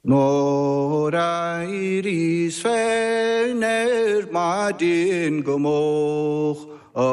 Nuair a éiríos féin ar maidin go moch i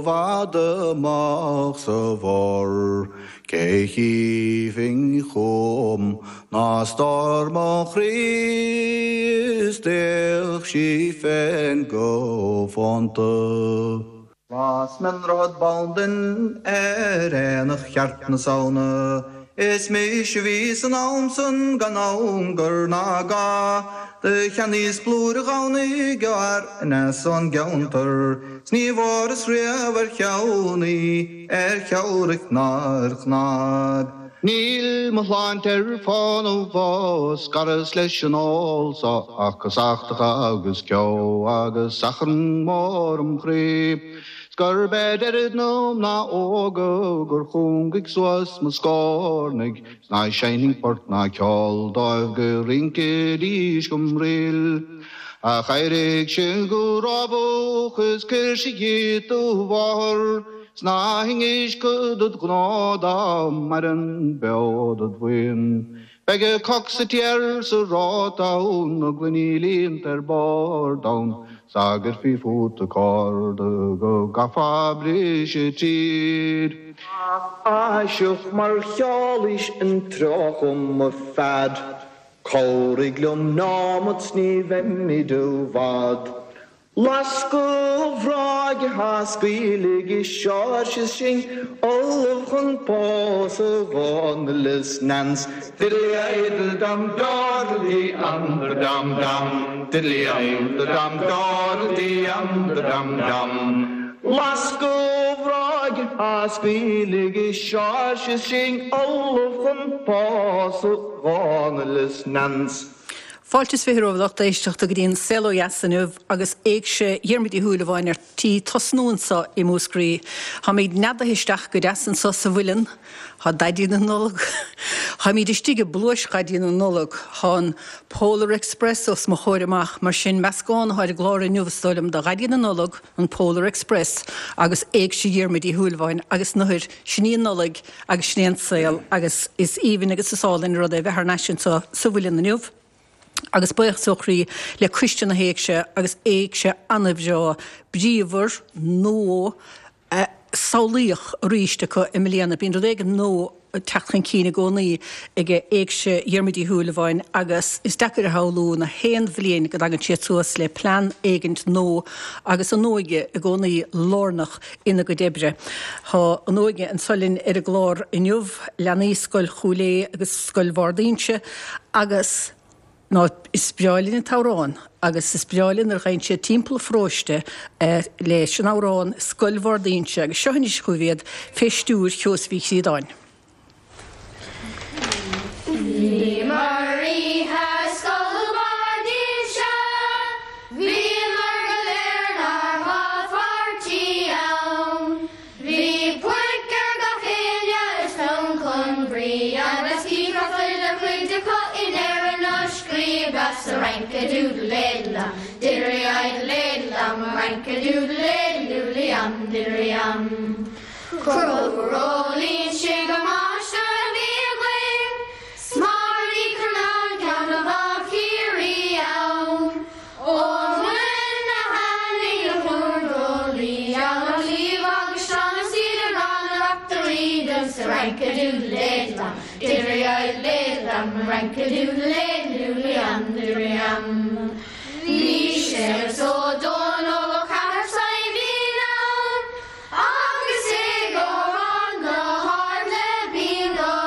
bhfad amach sa bhor, cé chífinn chugam ná stór mo chroí is d'fhéach sí féin go fónta. Las mé an Droichead Bandan ar aonach cheart na Samhna. Is mise a bhí san am san gan angar ná ga. Do cheannaíos blúire Dhomhnaigh ó fhear aneas ón gceantar. 'S ní bhfuaireas riamh ar cheann í, ar theoiric ná ar chnag. Níl mo shláinte ar fónamh ó scaras leis an ól so ach casachtach agus ceo agus achrann mór im chroí. 'S gurb é deirid na mná óga gur chúngaigh suas mo scornaigh 's ná seinnfinn port ná ceol dóibh go rincfidís go mbril. Ach éirigh sibh go rábach is cuir sibh dhíot do mháthair. 'S ná hinis cuid dod ghnó dá maireann beo dod bhuíon. Beidh a coc sa tír sa róta ann, na gloiní líonta ar bord ann, 's dá gcuirfí fút an cárta go gcaithfeá briseadh tríd. Aiseach mar cheolaís an treo chugam a phead, Cabhraigh liom neomat 's ní bheimid i bhfad. Lasc an bhráig atá scaoiligh i Seoirse is sinn ullamh chun pósadh Dhónaill is Nance. Diddley dum dawdle dee um da dum dum diddley um da dum dawdle dee um da dum dum. Lasc an bhráig atá scaoiligh i Seoirse is sinn ullamh chun pósadh Dhónaill is Nance. Fáilte is 20 romhaibh a lucht éisteachta go dtí an Saol Ó Dheas inniu agus Éigse Dhiarmuid Uí Shúilleabháin ar tí tosnú anso i Múscraí. Táimid neadaithe isteach go deas anso sa mhuileann. Tá Daidí na Nollag. Táimid istigh i bpluais Dhaidí na Nollag. Tá an Polar Express os mo chomhair amach. Mar sin, meascán atá ar an gclár inniu is dóigh liom de Dhaidí na Nollag, an Polar Express agus Éigse Dhiarmuid Uí Shúilleabháin agus nuair, sin í an Nollaig agus sin é an saol agus is aoibhinn agus is álainn an rud é a bheith thar n-ais anseo sa Mhuileann inniu agus buíochas ó chroí le Coiste na hÉigse agus Éigse an-bhreá, bríomhar, nua, samhlaíoch arís acu i mbliana. Bíonn rud éigin nua ag teacht chun cinn i gcónaí ag Éigse Dhiarmuid Uí Shúilleabháin agus is deacair a shamhlú na haon bhliain go dtagann siad suas le plean éigint nua agus an óige i gcónaí lárnach ina gcuid oibre. Tá an óige anso linn ar an gclár inniu, leanaí Scoil Chúil Aodha agus Scoil Bharr d'Inse agus ná is breá linn an t-amhrán agus is breá linn nuair a ghabhann siad timpeall an pharóiste leis an amhrán Scoil Bharr d'Inse agus seo anois chugaibh iad fé stiúir Sheosaimh Uí Chríodáin. Bhíomar oíche Scoil Bharr d'Inse, bhíomar go léir 'nár gcomhpháirtí ann. Bhí puic ar gach éinne is tonn chun brí agus chífeá chuile chuid acu i ndeireadh na scríbe sa rank-a-doodle-aidle-dum, diddley-idle-aidle-dum, rank-a-doodle-aidle-doodle-yum, diddley-yum. Conchúr Ó Loingsigh an máistir a bhí againn, 's Máire Ní Churnáin ceann de mhná Chiarraí ann. Ón Muileann a tháinig na plúrdrullaí, John Ó Cliabh agus Seán Ó Súilleabháin na reachtairí dúinn sa rank-a-doodle-aidle-dum, diddley-idle-aidle-dum, rank-a-doodle-aidle-doodle-yum, diddley-yum. Bhí Séamus Ó Dónaill ó Chathair Saidhbhín ann, Agus i gComhrán go hard le bingo.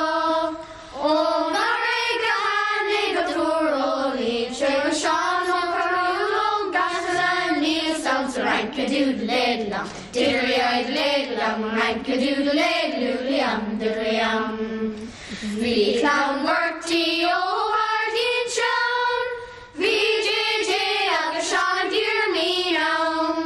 Ón gCarraig a tháinig an triúr ó Inse go Seán Ó Cearúil ón gCaisleán aníos ann sa rank-a-doodle-aidle-dum, diddley-idle-aidle-dum, rank-a-doodle-aidle-doodle-yum, diddley-yum. Bhí clann Mhurty ó Bharr d'Inse ann, bhí JJ agus Seán Diarmaid ann.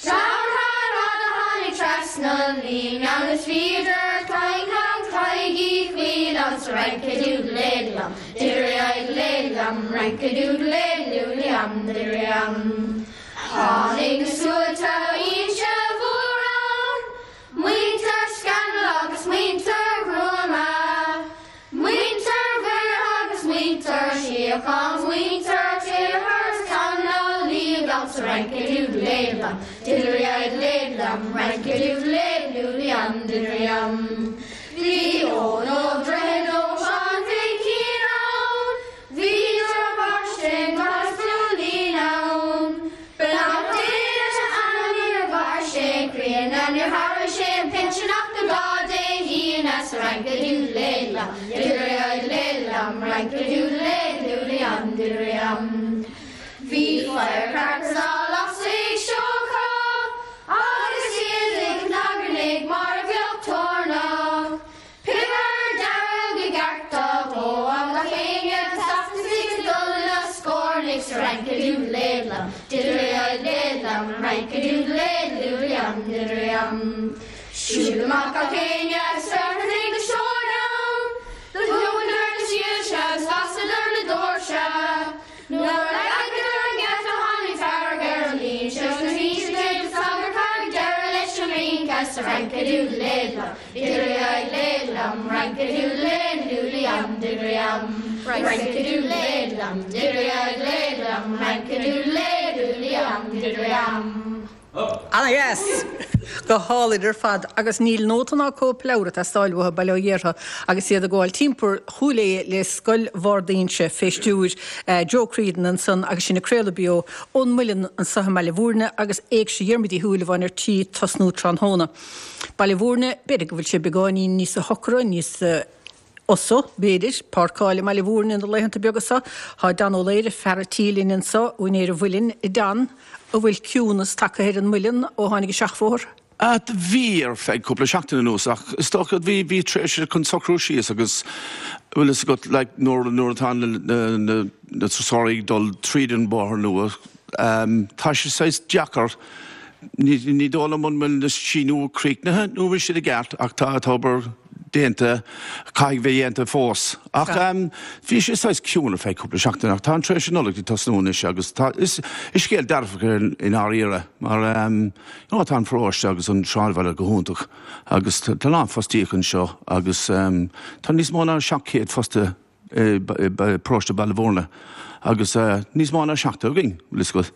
Clann Sheáin a tháinig trasna an líne agus bhíodar clann clann Thaidhg Uí Chuill ann sa rank-a-doodle-aidle-dum, diddley-idle-aidle-dum, rank-a-doodle-aidle-doodle-yum, diddley-yum. Tháinig na sluaite ó Inse Mhór ann, muintir Scannal agus muintir Ghruama, muintir Mhuire agus muintir. Tuairisíodh an mhuintir Taylor san ná liagam sa rince-a-dúdal-léadlam, diddley-idle-léadlam, rince-a-dúdal-léadlúliam, diddley-um. Bhí Eoin Ó Droichead ó Seán Mhicín ann, bhí deartháir sin gach súilín ann. Beannacht Dé leis a anam níor mhair sé críonna níor thairg sé an pinsean ach do lá Dé hAoine sa rince-a-dúdal-léadlam, diddley-idle-léadlam, rince-a-dúdal-léadlúliam, diddley-um. Bhí firecrackers á lasadh ag Seocha agus iad ag cnagarnaigh mar a bheadh toirneach. Piobar dearg i gceart á dhó ag gach éinne ag teacht is ag dul ina scornaigh sa rince-a-dúdal-léadlam, diddley-idle-léadlam, rince-a-dúdal-léadlúliam, diddley-um. Siúil amach gach éinne agus féachaint ag na seoid ann, do shúchadar na soilse agus lasadar na doirse. Nuair a leagadar an geata tháinig fearg ar an mbinse agus na hinse céad sagart thairg deireadh leis an rince sa rince-a-dúdal-léadlam, diddley-idle-léadlam, rince-a-dúdal-léadlúliam, diddley-um, rince-a-dúdal-léadlam, diddley-idle-léadlam, rince-a-dúdal-léadlúliam, diddley-um. Ana-dheas! Go hálainn ar fad agus níl nóta ná cóipleabhar ag teastáil uathu, bail ó Dhia orthu, agus iad ag gabháil timpeall Chúil Aodha le Scoil Bharr d'Inse fé stiúir Joe Creedon ansan agus sinn ag craoladh beo ón Muileann anso i mBaile Bhúirne agus Éigse Dhiarmuid Uí Shúilleabháin ar tí tosnú tráthnóna. Baile Bhúirne, b'fhéidir go bhfuil sé beagáinín níosa shocra, níos. fhusa, b'fhéidir, páirceáil i mBaile Bhúirne na laethanta beaga seo. Tá Dan Ó Laoire, fear a' tí linn anso, úinéir an Mhuilinn. A Dan, an bhfuil ciúnas tagtha ar an Muileann ó tháinig an seachbhóthar? Bhí, ar feadh cúpla seachtain anuas, ach is dócha, bhí, bhí tréimhse chun socrú síos agus, bhfuil fhios agat, like, nuair, nuair atá na, na, na turasóirí ag dul tríd an bóthar nua, tá sé saghas deacair, ní, ní dóigh liom an bhfuil na síniú críochnaithe nó an bhfuil siad i gceart ach tá, tá obair déanta, caithfidh bheith déanta fós. Ach bhí sé saghas ciúin ar feadh cúpla seachtain ach tá an tréimhse Nollag ag tosnú anois agus tá, is, is scéal dearfach é i ndáiríre mar you know tá an pharóiste agus an sráidbhaile go hiontach agus tá a lán fostaíocht anseo agus tá níos mó ná 700 fostaithe i bparóiste Baile Bhúirne agus níos mó ná 70 againn, bhfuil fhios agat.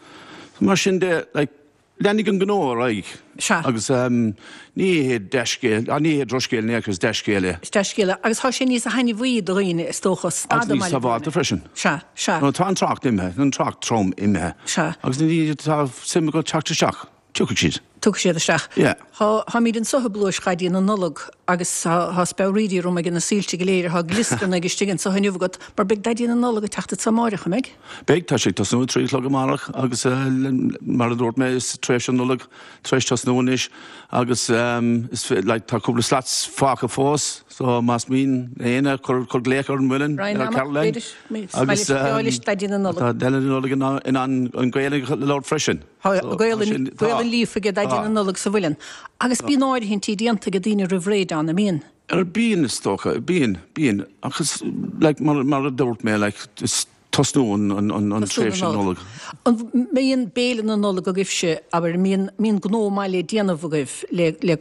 Mar sin de, like, leanfaidh an gnó ar aghaidh. Sea. Agus ní hé dea-scéal, ní hé drochscéal in aon chor, is dea-scéal é. Is dea-scéal é. Agus tá sé níos thaitneamhaí do dhaoine, is dócha, stad i Agus níos mBaile Bhúirne. sábháilte freisin. Sea, sea. Nó tá an trácht imithe, an trácht trom imithe. Sea. Agus na daoine atá suim acu teacht isteach. Tiocfaidh siad. Tiocfaidh siad isteach. Yeah. Tá, táimid anso i bpluais Dhaidí na Nollag agus tá, tá speabhraídí orm ag na soilse go léir, tá glioscarnaigh istigh anso inniu agat mar beidh Daidí na Nollag ag teacht anso amáireach, an mbeidh? Beidh, tá sé ag tosnú ag 3 a chlog amárach agus mar a dúirt mé is tréimhse Nollag tar éis tosnú anois agus is like tá cúpla slots fágtha fós so más mian le éinne cuir, cuir glaoch ar an Muileann Ryan ar amach, Caroline b'fhéidir, agus baile Daidí na Nollag. tá Daidí na Nollag in ann an Ghaeilge a labhairt freisin. Tá Gaolainn líofa aige Daidí na Nollag sa Mhuileann. Agus bíonn áirithintí déanta ag daoine roimh ré, Dan, an mbíonn? Bíonn, is dócha. Bíonn, bíonn. Ach is, like, mar, mar a dúirt mé, like, is tosnú an, an, an, an tréimhse Nollag. An mbíonn béile na Nollag agaibhse, abair, an mbíonn, mbíonn gnó maith le déanamh agaibh, le, le,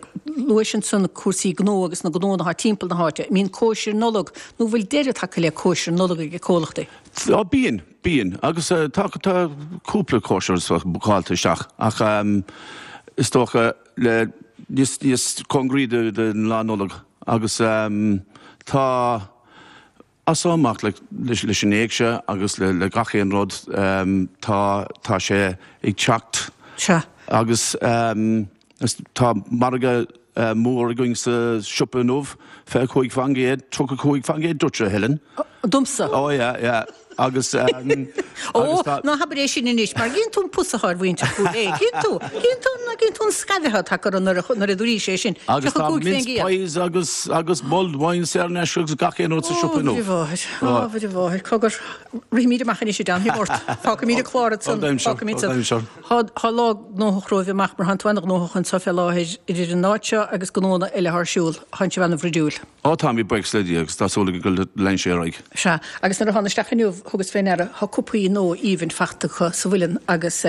luais ansan cúrsaí gnó agus na gnónna atá timpeall na háite, an mbíonn cóisir Nollag nó an bhfuil deireadh tagtha le cóisir Nollag ag comhlachtaí? Á, bíonn. Bíonn, agus tá tá cúpla cóisir bookáilte isteach ach is dócha le níos níos cóngaraí don lá Nollag agus tá as seo amach le leis an éigse agus le le gach aon rud tá tá sé ag teacht Sea. agus Tá margadh mór againn sa siopa inniu, 25%, 35% duitse, a Helen. Domsa? Ó yeah, yeah. Agus Ó, ná habair é sin anois, mar gcíonn tú an pus atá ar mhuintir Chúil Aodha. Cíonn tú, cíonn tú, cíonn tú an scaimh atá tagtha orthu nuair a nuair a dúraís é sin. Agus tá mince pies agus agus mulled wine saor in aisce agus gach aon rud sa siopa inniu. Ó, a Mhuire mháthair, ó, a Mhuire mháthair, cogar, rithimid amach anois a Dan, thig ort. Fágfaimid an clár ansan, fágfaimid san. Tá lá gnóthach romhaibh amach mar thánn tú ana-ghnóthach anseo fé láthair idir an áit seo agus gnóanna eile atá ar siúl. Tánn sibh ana-bhruidiúil. Ó táimid buíochas le Dia agus tá súil againn go leanfaidh sé ar aghaidh. Sea, agus nuair a thána isteach inniu thugas fé ndeara tá cupaí nua aoibhinn fachta acu sa mhuileann agus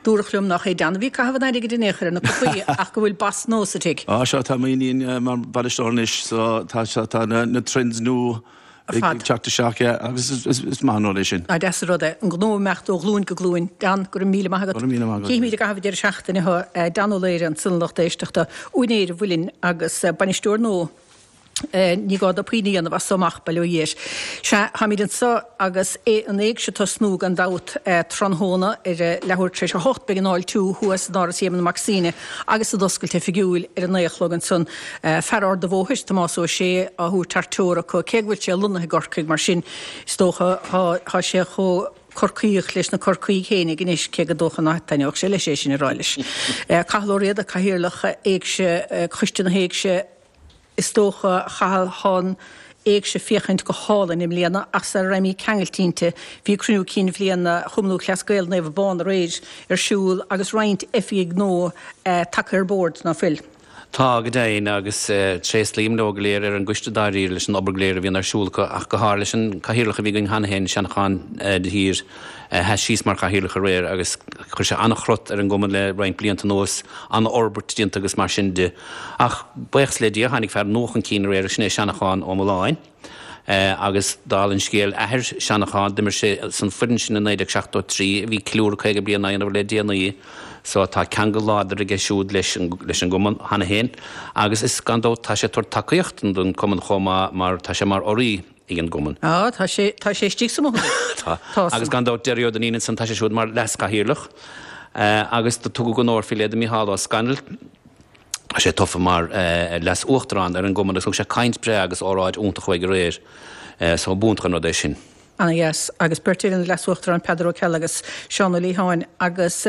dúradh liom nách é Dan a bhí ag caitheamh an airgid in aon chor ar na cupaí ach go bhfuil boss nua sa tigh. Á sea, tá m'iníon mar bhainisteoir anois so tá, tá na trends nua. Ag teacht isteach, yeah, agus is maith an rud é sin. Ah, deas an rud é. An gnó ag imeacht ó ghlúin go glúin. Dan, go raibh míle maith agat. Go raibh míle maith agat. Cífimid i gcaitheamh an deireadh seachtaine thú, Dan Ó Laoire, ansan a lucht éisteachta, úinéir an Mhuilinn agus bainisteoir nua. Ní gá dó puinn a dhéanamh as so amach, bail ó Dhia air. Sea, táimid anso agus é an éigse ag tosnú gan dabht tráthnóna ar a leathuair tar éis a hocht. Beidh an fháiltiú thuas in Áras Éamonn Mac Suibhne agus an oscailt oifigiúil ar a naoi a chlog ansan. Fear Ard a' Bhóthair, Tomás Ó Sé, á thabhairt thar teora acu, cé go bhfuil sé lonnaithe i gCorcaigh, mar sin is dócha tá sé chomh Corcaíoch leis na Corcaígh fhéinig anois, cé gur dócha ná taitneodh sé leis é sin a rá leis. Cathal Ó Riada, Cathaoirleach Éigse, Coiste na hÉigse, Is dócha, a Chathail, thá an Éigse féachaint go hálainn i mbliana ach sara raghimid ceangailte inti, bhí cruinniú cinn bhliana Chumann Lúthchleas Gael Naomh Abán aréir ar siúl agus roinnt oifigigh nua tagtha ar bord, ná fuil? Tá, go deimhin, agus tréaslaím leo go léir ar an gcoiste dáiríre leis an obair go léir a bhíonn ar siúl acu ach go háirithe leis an cathaoirleach a bhí againn cheana féin, Seanchán de hÍr, a sheas síos mar chathaoirleach aréir agus chuir sé an-chrot ar an gcumann le roinnt blianta anuas, an-fhorbairt déanta agus mar sin de. Ach buíochas le Dia, tháinig fear nua chun cinn aréir, sin é Seanachán Ó Mulláin. Agus dála an scéil, athair Seanachán, d'imir sé san foireann sin i 1973, a bhí ceiliúradh 50 bliain á dhéanamh le déanaí, so tá ceangal láidir aige siúd leis an leis an gcumann cheana féin. Agus is gan dabht tá sé ag tabhairt tacaíocht don cumann chomh maith mar tá sé mar urraí ag an gcumann. Á, tá sé, tá sé istigh sa mbothán. Tá. Tá. Agus gan dabht Derry Ó Duinnín ansan, tá sé siúd mar leas-chathaoirleach. Agus do tugadh onóir faoi leith do Mícheál Ó Scanaill. Tá sé tofa mar leas-uachtarán ar an gcumann agus thug sé caint breá agus óráid iontach uaidh aréir. So b'iontach an rud é sin. Ana dheas. Agus beirt eile na leas-uachtaráin, Peadar Ó Ceallaigh agus Seán Ó Liatháin. Agus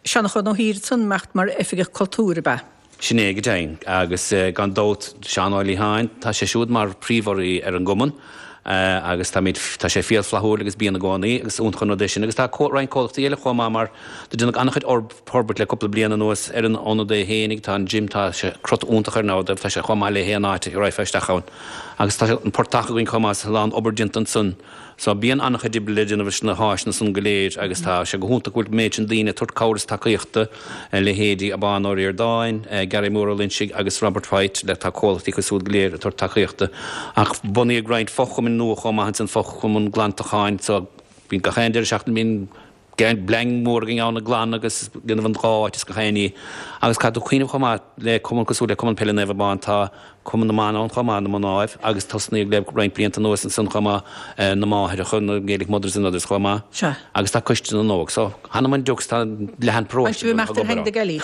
Seanchán Ó hÍr ansan imeacht mar Oifigeach Cultúir, ab ea? Sin é go deimhin. Agus gan dabht Seán Ó Liatháin, tá sé siúd mar phríomh-urraí ar an gcumann agus táimid, tá sé fial flaithiúil agus bíonn i gcónaí agus iontach an rud é sin. Agus tá roinnt comhlachtaí eile chomh maith mar do déanadh an-chuid forbairt le cúpla bliain anuas ar an ionad é fhéinig. Tá an gym, tá sé crot iontach air now, tá sé chomh maith le haon áit a raghfá isteach ann. Agus tá an portach againn chomh maith, tá a lán obair déanta ansan. So bíonn an-chuid oibre le déanamh leis na háiseanna san go léir agus tá sé go hiontach go bhfuil an méid sin daoine ag tabhairt cabhair is tacaíochta, leithéidí Abán Ó Ríordáin, Gary Mór Ó Loinsigh agus Robert White, le tá comhlachtaí acu siúd go léir ag tabhairt tacaíochta. Ach bunaíodh roinnt fochumainn nua chomh maith ansan, fochumann glantacháin, so bíonn gach aon deireadh seachtaine bíonn Bleain mhór againn ann ag glanadh agus ag déanamh an dhá áit is gach aon ní. Agus caithfidh tú cuimhneamh chomh maith le cumann cosúil le Cumann Peile Naomh Abán, tá Cumann na mBan ann chomh maith, na Mnáibh, agus tosnaíodh le roinnt blianta anuas ansan chomh maith, na Máithreacha, na Gaelic Mothers and Others chomh maith. Sea. Agus tá Coiste na nÓg. So, th'anam 'on diucs, tá leath an paróiste ag obair ann. Tá sibh ag imeacht ar thine na gealaí.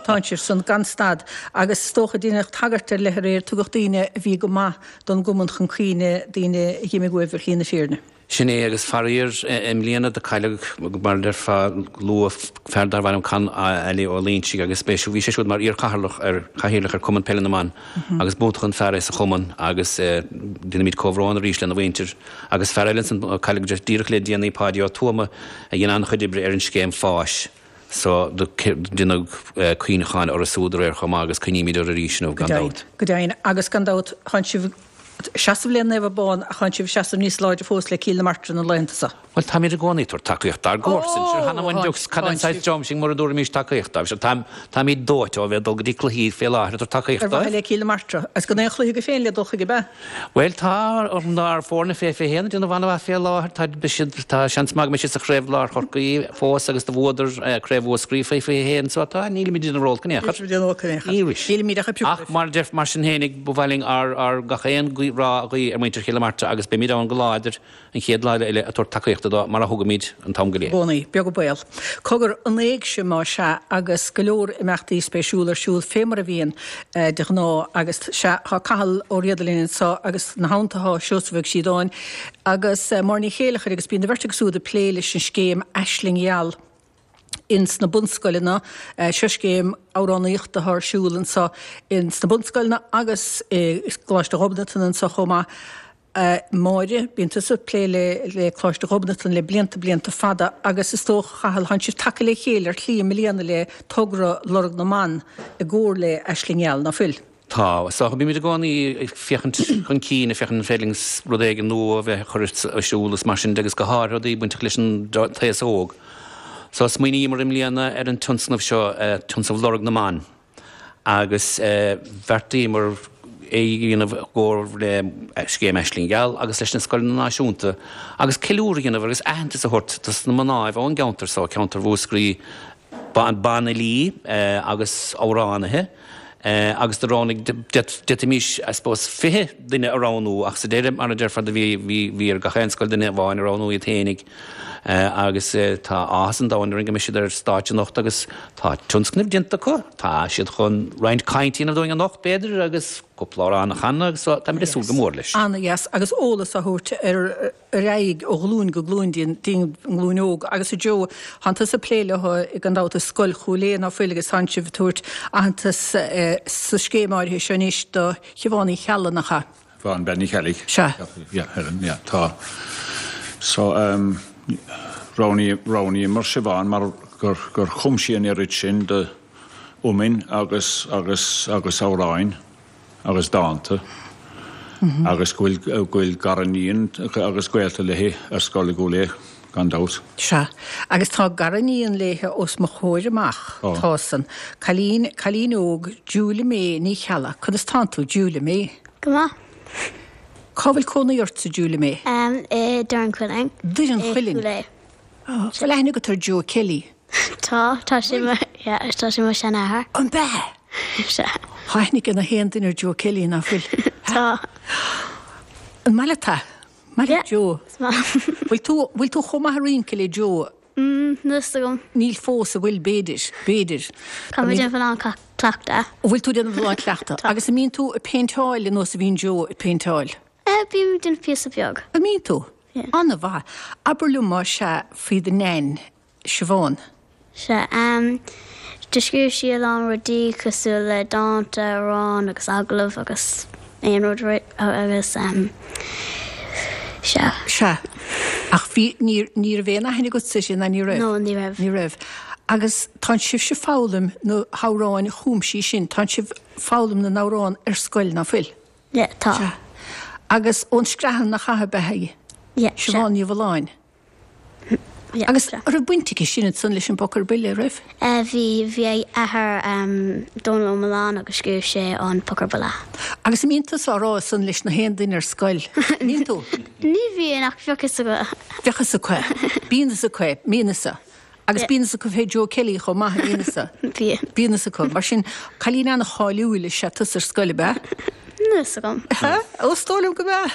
Tá sibh san gan stad. Agus is dócha, deineadh tagairt ar leith aréir, tugadh daoine a bhí go maith don gcumann chun cuimhne, daoine a dh'imigh uaibh ar shlí na fírinne. Sin é, agus faraor, i mbliana do cailleadh, mar a déarfá, luath, fear darbh ainm Con Ailí Ó Loinsigh agus b'é, bhí sé siúd mar iar-chathaoirleach ar, chathaoirleach ar Cumann Peile na mBan agus b'iontach an fear é sa chumann agus déanaimid comhbhrón arís lena mhuintir. Agus fear eile ansan a cailleadh díreach le déanaí, Páidí Ó Tuama, a dhein an-chuid oibre ar an scéim fáis. So do deineadh cuimhneacháin orthu súd aréir chomh maith agus cuimhnímid orthu arís inniu, gan dabht. Go deimhin, agus gan dabht, tánn sibh ag seasamh le Naomh Abán ach tánn sibh ag seasamh níos láidre fós le Cill na Martra na laethanta seo. Bhuel, táimid i gcónaí ag tabhairt tacaíocht dár gcomharsain. Sure, th'anam 'on diucs, cad é an saghas dream sinn mura dtabharfaimis tacaíocht dóibh? Sure, táimid dóite ó bheith ag dul go dtí cluichí fé láthair ag tabhairt tacaíocht dóibh. Ar mhaithe le Cill na Martra. Agus gan aon chluiche agaibh féin le dul chuige, ab ea? Bhuel, tá ár bhfoirne fé 21 ag déanamh an-mhaith fé láthair. Tá, beidh siad, tá seans maith go mbeidh siad sa chraobh Lár Chorcaí fós agus do bhuadar craobh Mhúscraí fé 21 so tá, nílimid ag déanamh olc in aon chor. Nílimid ag déanamh olc in aon chor. Ní Nílimid ach ag piocadh Ach mar a deir, mar sin fhéinig, ba mhaith linn ár, ár gach aon ghuí, rath a ghuí ar mhuintir Chill na Martra agus beimid ann go láidir an chéad lá eile ag tabhairt tacaíochta dó mar a thugaimid an t-am go léir. I gcónaí, beag an baol. Cogar, an éigse más ea, agus go leor imeachtaí spéisiúla ar siúl fé mar a bhíonn de ghnáth agus sea, tá Cathal Ó Riada linn anseo agus ina theannta tá Seosamh Ó Síodáin agus Máire Ní Chéileachair agus bíonn an bheirt acu siúd ag plé leis an scéim Aisling Gheal ins na bunscoileanna. Seo scéim amhránaíochta atá ar siúl anseo ins na bunscoileanna agus i gColáiste Ghobnatan anseo chomh maith. A Mháire, bíonn tusa ag plé le Coláiste Ghobnatan le blianta, blianta fada agus is dócha, a Chathail, tánn sibh tagtha le chéile ar shlí i mbliana le togra Lorg na mBan i gcomhar le Aisling Gheal, ná fuil? Tá. Is dócha, bímid i gcónaí ag féachaint chun cinn, ag féachaint an féidir linn rud éigin nua a bheith a chur ar siúl is mar sin de agus go háirithe rudaí bainteach leis an t-aos óg. So smaoiníomar i mbliana ar an tionscnamh seo, tionscnamh Lorg na mBan. agus bheartaíomar. é a dhéanamh i gcomhar le Scéim Aisling Gheal agus leis na Scoileanna Náisiúnta agus ceiliúradh a dhéanamh agus aitheantas a thabhairt dos na mnáibh ón gceantar so, ceantar Mhúscraí, banfhilí agus amhránaithe agus do roghnaigh, d'fhéadfaimis, I suppose, 20 duine a roghnú ach sa deireadh, mar a déarfá, do bhí, bhí, bhí ar gach aon scoil duine amháin a roghnú iad fhéinig agus tá áthas an domhain orainn go mbeidh siad ar stáitse anocht agus tá tionscnamh déanta acu, tá siad chun roinnt cainte a dhéanamh dúinn anocht, b'fhéidir, agus cúpla amhrán a chanadh agus táimid ag súil go mór leis. Ana-dheas agus eolas á thabhairt ar ar aghaidh ó ghlúin go glúin dtí an nglúin óg. Agus a Joe, tánn tusa ag plé leo gan dabht i Scoil Chúil Aodha ná fuil agus tánn sibh ag tabhairt aitheantas sa scéim áirithe seo anois do Shiobhán Uí Cheallaigh, nach ea? Siobhán Bean Uí Cheallaigh. Sea. Yeah, Helen, yeah, tá. So, roghnaíomar Siobhán mar gur gur chum sí an oiread sin de iomainn agus agus agus amhráin. agus dánta agus go bhfuil go bhfuil gariníon agus gaolta léi ar scoil i gCúil Aodha, gan dabht. Sea, agus tá gariníon léithe os mo chomhair amach, tá san. Cailín, cailín óg, Julia May Ní Cheallaigh. Conas tánn tú, Julia May? Go maith. Cá bhfuil cónaí ortsa, Julia May? I Doire an Chuilinn. Doire an Chuilinn? I gCúil Aodha. Bhfuil aithne agat ar Joe Kelly? Tá, tá sé mo, yeah, tá sé mo sheanathair. An b'ea? Sea. Tá aithne ag na haon duine ar Joe Kelly, ná fuil? Tá. An maith leat é? Maith leat Joe? Is maith. Bhfuil tú, bhfuil tú chomh maith ag rince le Joe? Mm, níl fhios agam. Níl fós, an bhfuil, b'fhéidir, b'fhéidir. Tá mé ag déanamh a lán cleachtadh. An bhfuil tú ag déanamh a lán cleachtadh? Tá. Agus an mbíonn tú ag péinteáil ar nós a bhíonn Joe ag péinteáil? Eh, bím ag déanamh píosa beag. An mbíonn tú? Yeah. An-mhaith. Abair liom más ea faoi do Nain, Siobhán. Sea, em, do scríobh sí a lán rudaí cosúil le dánta, amhráin agus agallaimh agus aon rud agus, em, sea. Sea. Ach bhí, ní, ní raibh aon aithne agatsa uirthi, ná ní raibh? No, ní raibh. Ní raibh. Agus tánn sibhse foghlaim na hamhráin a chum sí sin, tánn sibh foghlaim na n-amhrán ar scoil, ná fuil? Yeah, tá. Sea. Agus ón Screathan nach ea ab ea í? Yeah, sea. Siobhán Ní Mhulláin. Yeah, Agus sea. an raibh baint aici sin ansan leis an bPoc ar Buile, raibh? Eh, bhí, bhí a athair, em, Dónal Ó Mealláin agus scríobh sé an Poc ar Buile. Agus an mbíonn tusa á rá san leis na haon duine ar scoil? An mbíonn tú? Ní bhíonn ach bheadh fhios acu. Bheadh fhios acu. Bíonn fhios acu, mbíonn fhios. Agus bíonn fhios acu fé Joe Kelly chomh maith, an mbíonn fhios? Bíonn. Bíonn fhios acu. Mar sin, cailín an-cháiliúil is ea tusa ar scoil, ab ea? Níl fhios agam. Ó, is dóigh liom go mb'ea.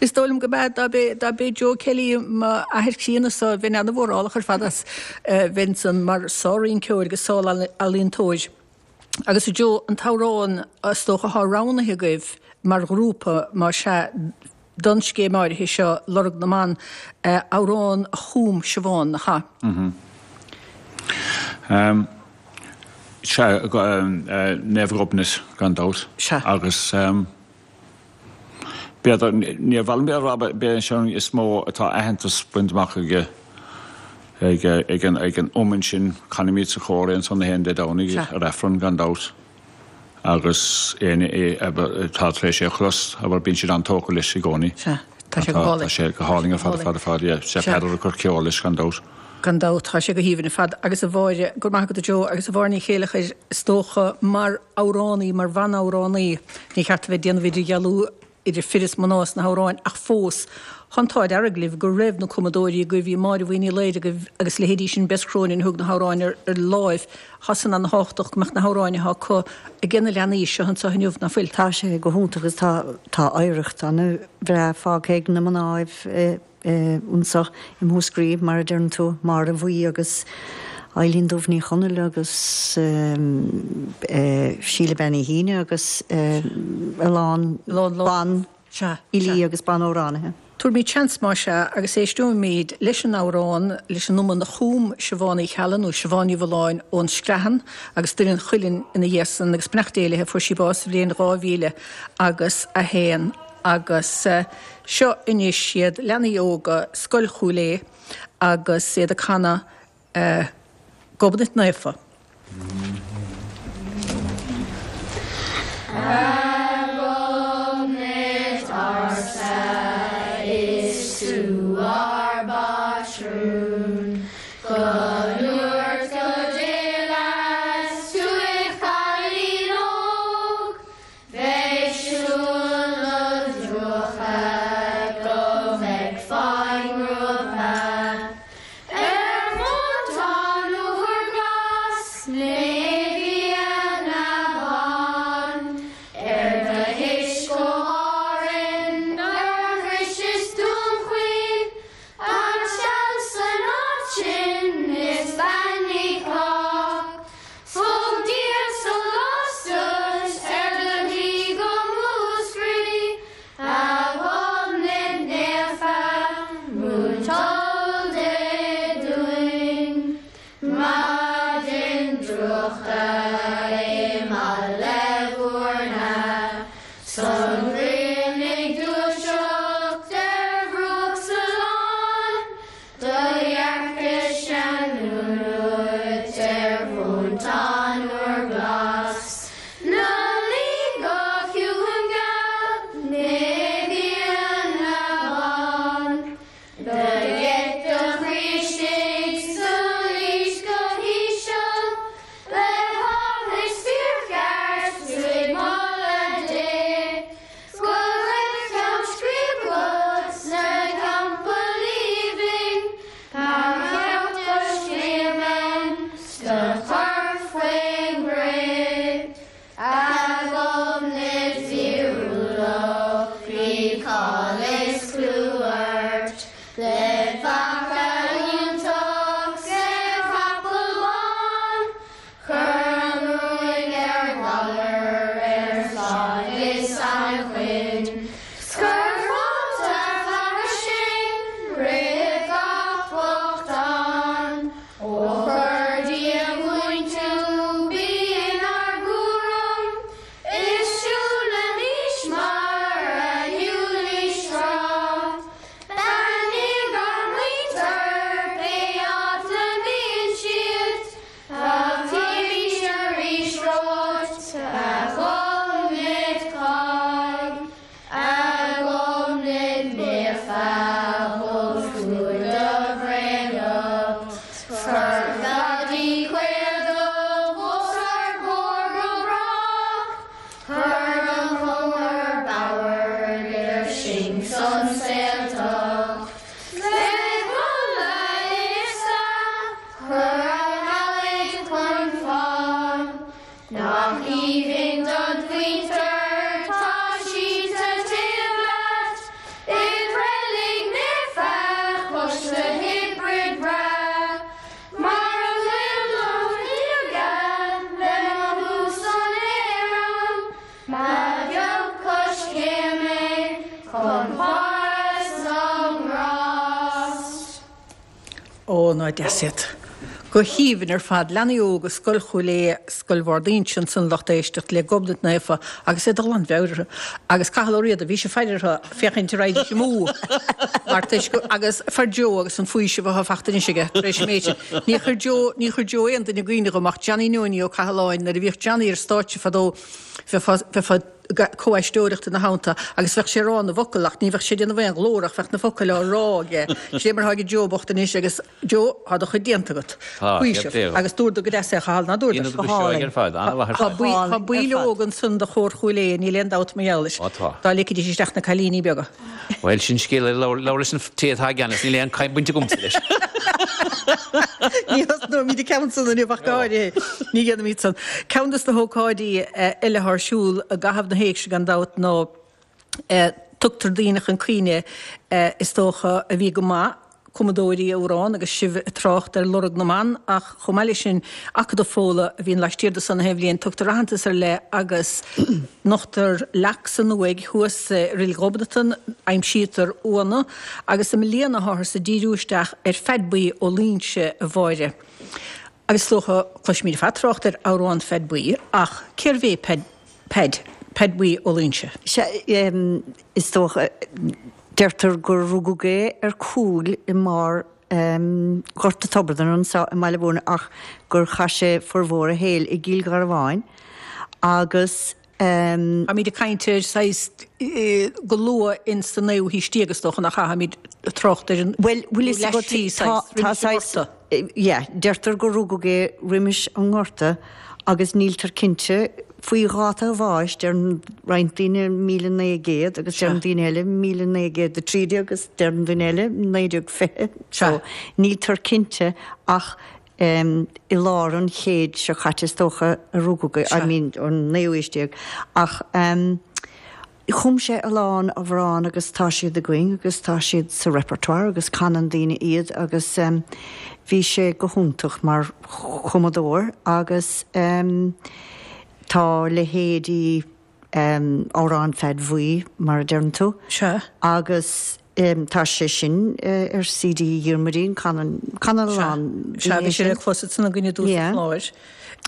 Is dóigh liom go mb'ea. Dá b'é, dá b'é Joe Kelly m'athair críonna-sa, bheinn an-mhórálach ar fad as. Bheinn san mar sár-rinceoir agus sár-ealaíontóir. Agus a Joe, an t-amhrán is dócha atá roghnaithe agaibh mar ghrúpa, más ea, don scéim áirithe seo, Lorg na mBan, amhrán a chum Siobhán, nach ea? Sea, Naomh Ghobnait, gan dabht. Sea. Agus b'fhéidir, níor mhaith liom a rá, b'é an ceann is mó atá aitheantas bainte amach aige, ag an iomann sin, canaimid sa chór é ansan na haon Dé Domhnaigh ar Aifreann, gan dabht. Agus éinne atá tar éis é a chlos, abair, bíonn siad an-tógtha leis i gcónaí. Sea, tá sé go hálainn. Tá sé go hálainn ar fad, ar fad, ar fad, yeah. Sé Peadar ag cur ceoil leis, gan dabht. Gan dabht, tá sé go haoibhinn ar fad. Agus a Mháire, go raibh maith agat a Joe, agus a Mháire Ní Chéileachair, is dócha, mar amhránaí, mar bhanamhránaí, ní cheart a bheith ag déanamh idirdhealú idir fir is mná sna hamhráin ach fós, tá an t-ádh dearg libh go raibh na cumadóirí agaibh, bhí Máire Bhuí Ní Laoire agaibh agus leithéidí sin Bess Cronin a thug na hamhráin ar láimh. Tá san ana-thábhachtach go mbeadh na hamhráin atá acu ag na leanaí seo anseo inniu, ná fuil? Tá sé go hiontach agus tá tá oidhreacht ana-bhreá fágtha ag na mnáibh anso i Múscraí, mar a deireann tú, Máire Bhuí agus Eilín Dubh Ní Chonaill agus Síle Bean Uí hAoine agus a lán ban fhilí agus ban-amhránaithe. Tabharfaimid seans más ea agus éisteoimid leis an amhrán, leis an iomann a chum Siobhán Uí Cheallaigh nó Siobhán Ní Mhulláin ón Screathan agus Doire an Chuilinn ina dhiaidh san agus beannacht Dé léi, fuair sí bás sa bhliain 2000 agus 1 agus seo anois iad, leanaí óga Scoil Chúil Aodha agus iad ag canadh Gobnait Naofa. A Ghobnait ársa, is tú ár bpátrún, Go ndúirt go dil 's tú id' chailín óg, Bheidh siúl. Faca iontach 's ar chapall bán, Chuir an ruaig ar ghalar, ar phláigh is anachain, 's chuir fáilte flaithis sinn roimh gach bochtán. Ó chuir Dia chugainn tú, bí inár gcúram, Is siúlaimis mar a shiúlaís tráth. Beannaigh ár muintir pé áit a mbíonn siad, Fáiltímis arís romhat, a Ghobnait Cáig, a Ghobnait Naofa, thug tú do bhréanacht. Cuir cladaí caol dubh os ár gcomhair go brách, Cuir an cumar bodhar idir sinn 's an saoltacht. Le Fódhla Iosta, cuir an Nollaig chun fáin. Nach aoibhinn don mhuintir, tá siad sa taobh leat, I reilig naofa cois na hOibre breá. Mar a bhfuil mo shíoga le mothú san aer ann, Ba bheag coiscéim é chun Pháras na nGrást. Ó, ná deas iad. Go haoibhinn ar fad. Leanaí óga Scoil Chúil Aodha, Scoil Bhard Inse ansan lucht éisteachta le Gobnait Naofa agus iad de ghlanmheabhair orthu. Agus Cathal Ó Riada, bhí sé ag faire orthu féachaint an raghaidís amú mar toisc go, agus fuair Joe agus an faoiseamh atá fachta anois aige tar éis an méid sin. Ní chuir Joe, ní chuir Joe aon duine i gcuimhne dhom ach Johnny Neoiní Ó Cathaláin nuair a bhíodh Johnny ar stáitse fadó bheifeá, bheifeá, comh-aisteoireacht ina theannta agus bheadh sé ag rá na bhfocal ach ní bheadh sé ag déanamh aon ghlór ach bheadh na focail á rá aige. Sin é mar atá ag Joe bocht anois agus Joe, tá do chuid déanta agat. Tá, Faoiseamh. Agus dúradar go deas é, a Chathail, ná dúradar? Dúradar go seoigh ar fad, an-mhaith ar fad. Tá baill óga ansan de chór Chúil Aodha, níl aon dabht mar gheall leis. Ó tá. Dá ligfidís isteach na cailíní beaga. Bhuel, sin scéal eile, labhair leis an té atá i gceannas, níl aon baint agamsa leis. Ní thosnóimid an ceann san inniu ach go háirithe. Ní dhéanfaimid san. Ceann de na hócáidí eile atá ar siúl i gcaitheamh na héigse gan dabht ná tugtar daoine chun cuimhne is dócha a bhí go maith, cumadóirí amhrán agus sibh ag trácht ar Lorg na mBan ach chomh maith leis sin Acadamh Fódhla a bhíonn laistiar de san aon bhliain. Tugtar aitheantas ar leith agus nochtar leac san uaigh thuas i Reilig Ghobnatan, aimsítear uaigheanna agus i mbliana táthar ag díriú isteach ar Pheaid Buí Ó Loingsigh a Mháire. Agus is dócha, cloisimid ar fad trácht ar amhrán Pheaid Buí ach cérbh é Peaid, Peaid, Peaid Buí Ó Loingsigh? Sea, is dócha, deirtear gur rugadh é ar Cúil i mbarr Ghort a' Tobardan anso i mBaile Mhúirne ach gur chaith sé formhór a shaoil i gCill Gharbháin agus. Táimid ag caint ar saghas go luath ins an naoú haois déag is dócha nach ea? Táimid ag trácht ar an Bhuel, bhfuil fhios agat, tá, tá saghas, yeah, deirtear gur rugadh é roimis an nGorta agus níltear cinnte faoi dháta a bháis, deireann roinnt daoine 1900 agus deireann daoine eile 1913 agus deireann duine eile 1920, so níltear cinnte ach i lár an chéid seo caite is dócha a rugadh é, I mean an naoú haois déag, ach chum sé a lán amhrán agus tá siad againn agus tá siad sa repertoire agus canann daoine iad agus bhí sé go hiontach mar chumadóir agus tá leithéidí Amhrán Pheaid Bhuí, mar a deireann tú. Sea. Agus tá sé sin ar CD Dhiarmuidín, canann, canann a lán Sea, sea, bhí sé le clos ansan againn i dtús an chláir.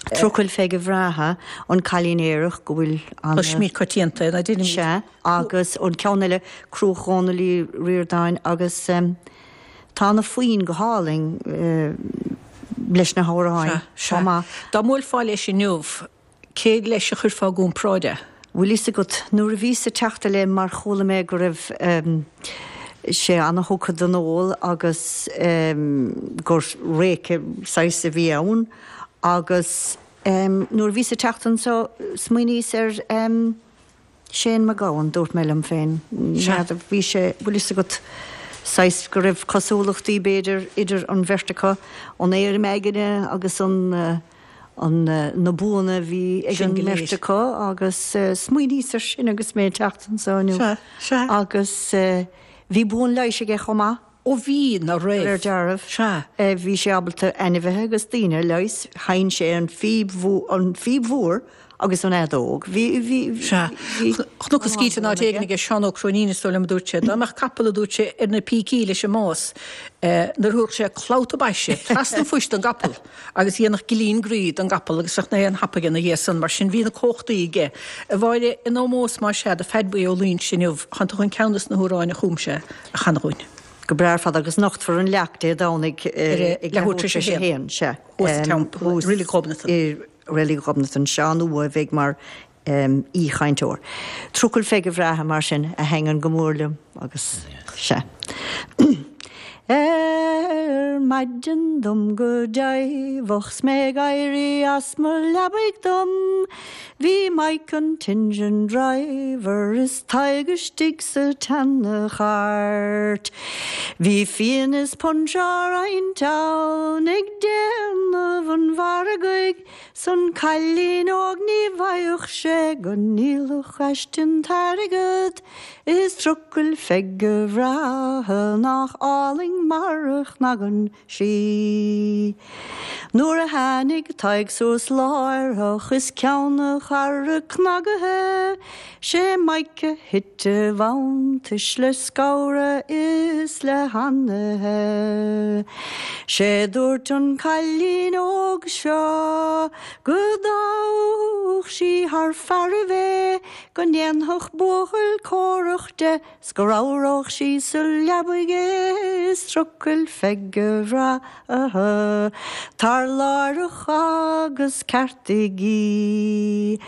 Trucail Pheige Bhreátha, An Cailín Aerach, go bhfuil an. Cloisimid coitianta é, ná deinimid? Sea, agus an ceann eile, Cruach Dhónaill Uí Ríordáin, agus tá na foinn go hálainn leis na hamhráin Sea, chomh maith. Dá mbuailfeá leis inniu, Cé leis a chuirfeá i gcomparáid é? Bhfuil fhios agat, nuair a bhíos ag teacht i leith mar chuala mé go raibh sé ana-thugtha don ól agus gur réice saghas a bhí ann agus nuair a bhíos ag teacht anso smaoiníos ar Shane Mac Gabhann, dúirt mé liom féin, n'fheadar, bhí sé, bhfuil fhios agat, saghas go raibh cosúlachtaí b'fhéidir idir an bheirt acu, an éirim aigne agus an, an, na buanna a bhí ag an mbeirt acu agus smaoiníos ar sin agus mé ag teacht anseo inniu. Sea, sea. Agus bhí bua an leighis aige chomh maith. Ó bhí, ná raibh. Ar dearbh. Sea. Bhí sé ábalta ainmhithe agus daoine a leigheas. Sheinn sé an phíb, an phíb mhór agus an fheadóg. Bhí, bhí, Sea. bhí. Chonacthas gíte in áit éigin aige Seán Ó Cróinín is dóigh liom a dúirt sé. Dá mbeadh capall a dúirt sé ar na pící leis an mbás, nuair a thabharfadh sé clabhta baise trasna an phoist don gcapall agus dhéanfadh gillín groí don gcapall agus bheadh na haon thapaidh ina dhiaidh san. Mar sin bhí na cumhachtaí aige. A Mháire, in ómós más ea do Pheaid Buí Ó Loingsigh inniu, tánn tú chun ceann des na hamhráin a chum sé a chanadh dhúinn. Go breá ar fad agus nochtfar an leac Dé Domhnaigh ag leathuair tar éis a haon. Sea. Thuas sa teampall i Reilig Ghobnatan. I Reilig Ghobnatan. Seán Ua a bheidh mar aoichainteoir. Trucail Pheige Bhreátha mar sin a thaitníonn go mór liom agus sea. Ar maidin dom go deimheach 's mé ag éirí as mo leabaidh dom Bhí Mike an t-engine driver is Tadhg istigh sa tseana-chairt. Bhí fíon is punch á roinnt ann ag déanamh an mhargaidh 's an cailín óg ní bhfaigheadh sé go ndíolfadh aisti an t-airgead is trucail Pheige bhreátha nach álainn mar a chnagann sí. Nuair a tháinig Tadhg suas láithreach is ceann a charra cnagaithe, 'sé Mike a thit i bhfanntais le scamhradh is le hanaithe. 'Sé dúirt an cailín óg seo go dtoghfadh sí thar fearaibh é, go ndéanfadh buachaill córach de, 'S go ramhródh sí sa leabaidh é is trucail Pheige bhreátha tar láithreach agus ceartaigh í.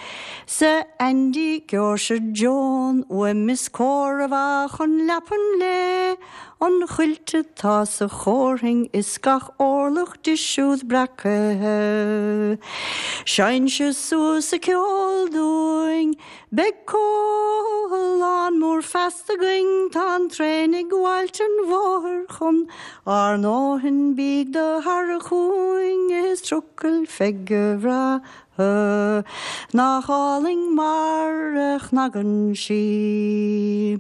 'S a Aindí gheobhairse Joan uaim is cóir a bheadh chun leapan léi an chuilt atá sa chomharthainn is gach orlach di siúd breacaithe. Seinnse suas a ceol dúinn Beidh comhthalán mór feasta againn, tá an traein ag gabháilt an bhóthair chun ár ndóthain, bíg do tharrac chugainn is trucail Pheige bhreátha, nach álainn mar a chnagann sí.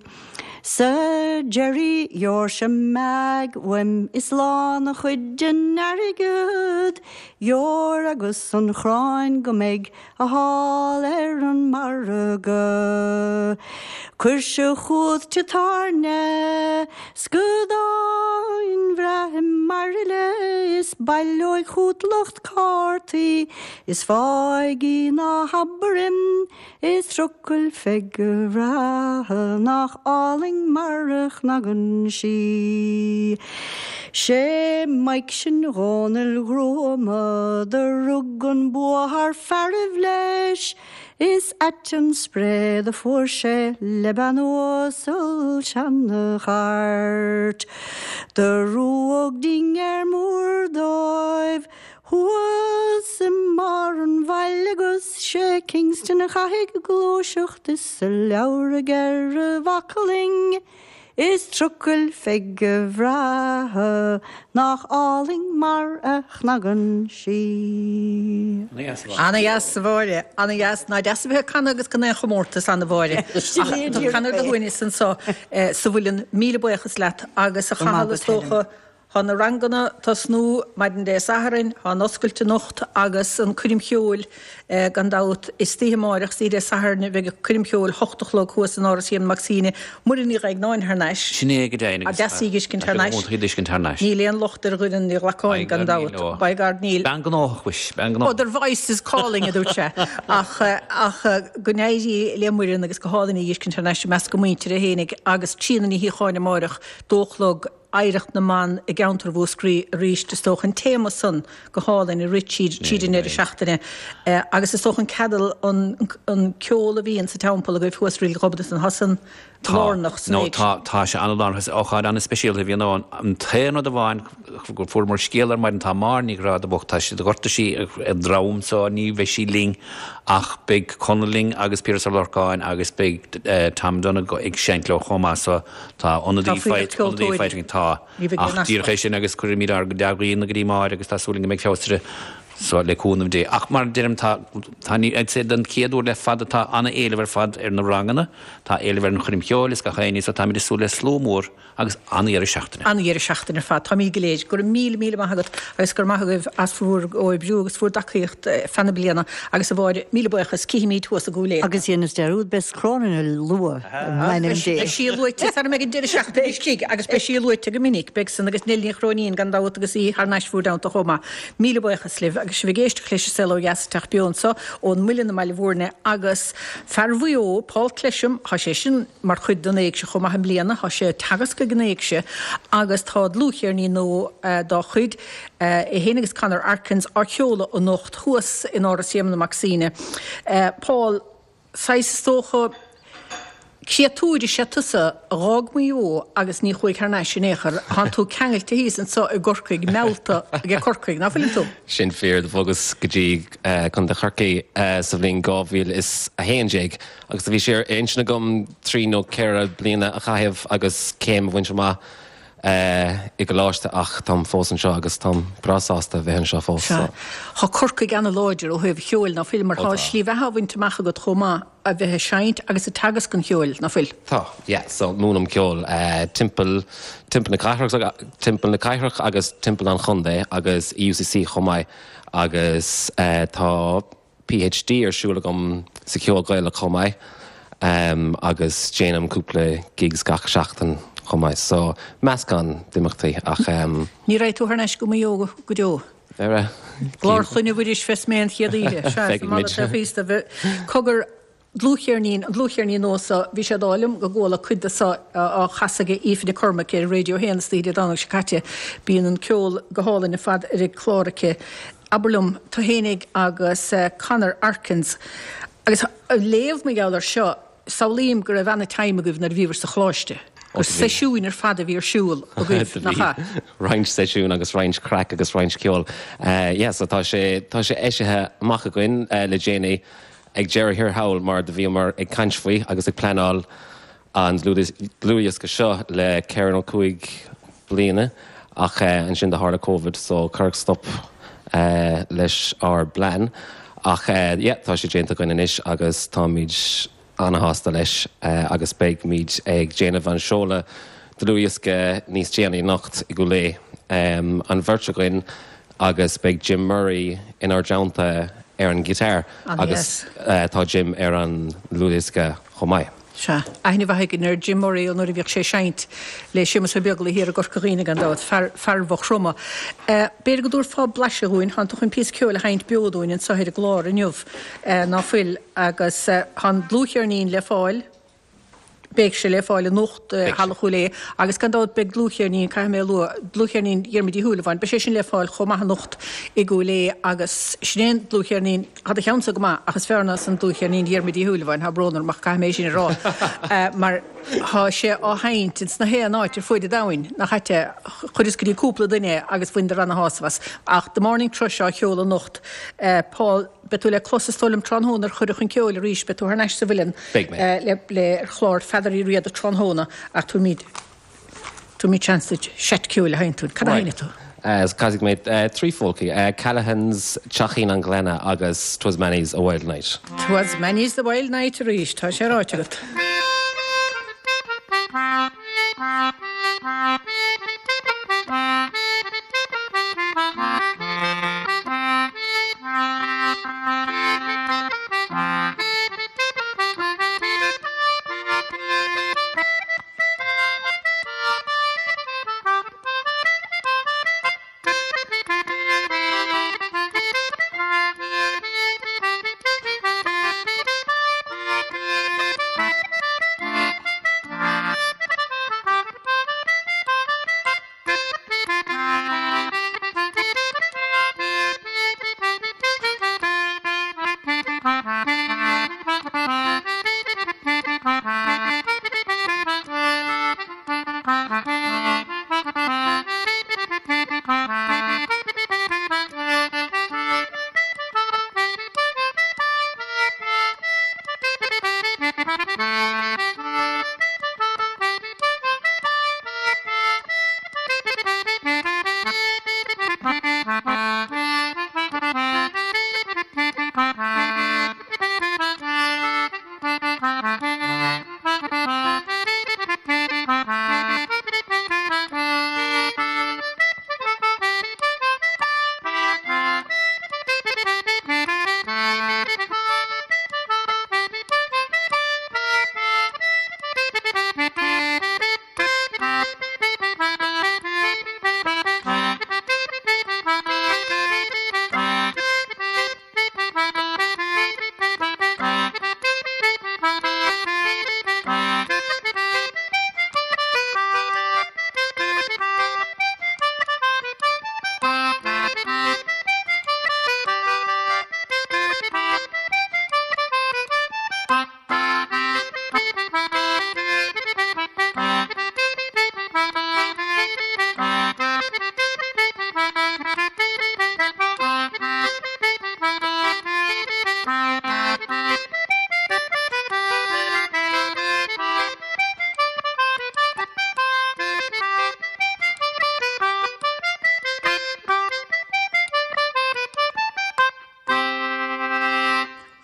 'S a Jerry gheobhairse Meaig uaim is lán a chuid den airgead, gheobhair agus an chráin go mbeidh a thall ar an margadh. Cuirse chugat tigh tábhairne 's go domhain bhreá i mBairille is baileoidh chugat lucht cártaí is fág í ná habair im is trucail Pheige bhreátha nach álainn mar a chnagann sí. 'Sé Mike sin Dhónaill Ghruama do rug an bua thar fearaibh leis, Is ait an spré do fuair sé le bean uasal seana-chairt. Do rugadh dinnéar mór dóibh thuas i mbarr an bhaile agus 'sé Kingston a chaithfidh gluaiseacht is a leabhar aige ar a bhaclainn. Is trucail Pheige bhreátha nach álainn mar a chnagann sí. Ana-dheas, a Mháire, ana-dheas. Ná deas a bheith ag canadh agus gan aon chomórtas ann, a Mháire. Ach tá canadh ar do shuaimhneas anso sa mhuileann. Míle buíochas leat agus a Chathail is dócha Thá na ranganna tosnú maidin Dé Sathairn, thá an oscailt anocht agus an coirm cheoil gan dabht istoíche amáireach, istoíche Dé Sathairn bheidh an coirm cheoil 8 a chlog thuas in Áras Éamonn Mac Suibhne. Muireann Ní Dhaighneáin thar n-ais. Sin é go deimhin agus deas í a dh'fheiscint thar n-ais. Iontach í d'fheiscint thar n-ais. Níl aon locht ar Dhoireann Ní Ghlacáin gan dabht. By God níl. Bean gnóthach mhuis, bean gnóthach. Other voices calling a dúirt sé. Ach ach go n-éirí le Muireann agus go hálainn í a dh'fheiscint thar n-ais i measc a muintire fhéinig agus Tríona Ní Shíocháin amáireach, dó a chlog. Oidhreacht na mBan i gceantar Mhúscraí arís, is dócha, an téama san go hálainn a rith tríd tríd an deireadh seachtaine agus is dócha an ceadal an an ceol a bhíonn sa teampall agaibh thuas i Reilig Ghobnatan, tá san Tá, lárnach san nó éigse. tá, tá sé an-lárnach, is ócáid an-speisialta a bhíonn ann. An t-aon rud amháin go fuaireamar scéal ar maidin, tá Máire Ní Ghráda bocht, tá sí, ghortaigh sí a drom so ní bheidh sí linn ach beidh Conall linn agus Piaras Ó Lorcáin agus beidh Tom Donagh ag seinnt leo chomh maith so Tá ionadaí Tá fuílleach faighte, ionadaí ceoltóirí. faighte againn, tá. Ní bheidh Ach aon díreach easpa. é sin agus cuirfimid ár dea-ghuíonna go dtí Máire agus tá súil againn go mbeidh feabhas uirthi. So, le cúnamh Dé. Ach mar a deirim, tá, tá, ní, I'd say don chéad uair le fada tá an-éileamh ar fad ar na ranganna, tá éileamh ar an choirm cheoil is gach éinne so táimid ag súil le slua mór agus an-dheireadh seachtaine. An-dheireadh seachtaine ar fad. Táimid go léir. Go raibh míle, míle maith agat agus go raibh maith agaibh as bhur gcomhoibriú agus bhur dtacaíocht feadh na bliana agus a Mháire, míle buíochas. Cífimid thuas i gCúil Aodha. Agus dhéanas dearúd, beidh Cróinín a lua in ainm Dé. Beidh sí luaite sara mbeidh an deireadh seachtaine istigh agus beidh sí luaite go minic. Beidh san agus Neil Ní Chróinín gan dabht agus í thar n-ais bhur dteannta chomh maith. Míle buíochas libh agus sibh ag éisteacht leis an Saol Ó Dheas ag teacht beo anso ón Muileann i mBaile Bhúirne agus fear Mhaigh Eo, Paul Clesham, tá sé sin mar chuid den Éigse chomh maith i mbliana, tá sé ag teagasc ag an Éigse agus tá dlúthcheirnín nua dá chuid, é féin agus Conor Arkins, á sheoladh anocht thuas in Áras Éamonn Mac Suibhne. Paul. Saghas, is dócha, créatúr is ea tusa a dh'fhág Maigh Eo agus ní chuaigh thar n-ais in aon chor. Thánn tú ceangailte thíos anso i gCorcaigh, meallta ag Corcaigh, ná fuileann tú? Sin fíor, do bhogas go dtí Contae Chorcaí sa bhliain 2011 agus do bhí sé ar intinn agam trí nó ceithre bliana a chaitheamh agus céim a bhaint amach i gcoláiste ach táim fós anseo agus táim breá sásta a bheith anseo fós. Sea. Tá Corcaigh ana-láidir ó thaobh cheoil, ná fuil? Mar tá slí bheatha á bhaint amach agat chomh maith a bheith ag seinnt agus ag teagasc an cheoil, ná fuil? Tá, yeah. So múinim ceol timpeall, timpeall na cathrach, timpeall na cathrach agus timpeall an chontae agus i UCC chomh maith agus tá, PhD ar siúl agam sa cheol Gaelach chomh maith agus déanaim cúpla gigs gach seachtain chomh maith. So, meascán d'imeachtaí ach. Ní raghaidh tú thar n-ais go Maigh Eo go deo? Ar Chlár Chloinne Mhuiris bheas mé an chéad oíche. Sea, sa mbaile taobh thíos de. Cogar, dlúthcheirnín, an dlúthcheirnín nua so, bhí sé d'ádh liom go gcuala cuid de so á chasadh ag Aoife Nic Cormaic ar Radio 1 istoíche Dé Domhnaigh seo caite. Bíonn an ceol go hálainn ar fad ar an gclár aici. Abair liom, tú fhéinig agus Conor Arkins, agus ag léamh mar gheall air seo, samhlaím go raibh ana-time agaibh nuair a bhíobhair sa choláiste, gur seisiúin ar fad a bhí ar siúl agaibh, nach ea? Roinnt seisiún agus roinnt craic agus roinnt ceoil. Yeah, so tá sé, tá sé eisithe amach againn le déanaí ag deireadh thiar thall mar do bhíomar ag caint faoi agus ag pleanáil an dlúthdhiosca seo le ceithre nó cúig bliana ach ansin do tharla Covid so cuireadh stop leis ár bplean ach yeah tá sé déanta againn anois agus táimid ana-shásta leis agus beidhmid ag déanamh an seoladh dlúthdhiosca níos déanaí anocht i gCúil Aodha, an bheirt againn agus beidh Jim Murray inár dteannta ar an guitar agus tá Jim ar an ndlúthdhiosca chomh maith. Sea, aithne mhaith againn ar Jim Murray ó nuair a bhíodh sé ag seinnt le Séamus Ó Beaglaoich thiar i gCorca Dhuibhne gan dabht, fear, fear Mhaigh Chromtha. B'fhéidir go dtabharfá blaiseadh dhúinn, thánn tú chun píosa ceoil a sheinnt beo dúinn anseo ar an gclár inniu, ná fuil? Agus tá an dlúthcheirnín le fáil, beidh sé le fáil anocht i Halla Chúil Aodha agus gan dabht beidh dlúthcheirnín, caithfidh mé a lua, dlúthcheirnín Dhiarmuid Uí Shúilleabháin, beidh sé sin le fáil chomh maith anocht i gCúil Aodha agus sin é an dlúthcheirnín, Tá do cheannsa go maith, ach is fearr ná san dlúthcheirnín Dhiarmuid Uí Shúilleabháin, tá brón orm ach caithfidh mé é sin a rá, mar tá sé á sheinnt ins na haon áit ar fuaid an domhain, nach ait é? Chuireas go dtí cúpla duine é agus bhaineadar ana-shásamh as. Ach The Morning Thrush á cheol anocht. Paul, beidh tú le clos is dóigh liom tráthnóna ar Chuireadh chun Ceoil arís, beidh tú thar n-ais sa Mhuileann le le ar chlár Pheadair Uí Riada tráthnóna ach tabharfaimid Tabharfaimid seans duit seit ceoil a sheinnt dúinn. Cad a sheinnfidh tú? Casfaidh mé trí pholcaí, Callaghan's Teachín an Ghleanna agus 'Twas Many's a Wild Night. 'Twas Many's the Wild Night arís, tá sé ráite agat.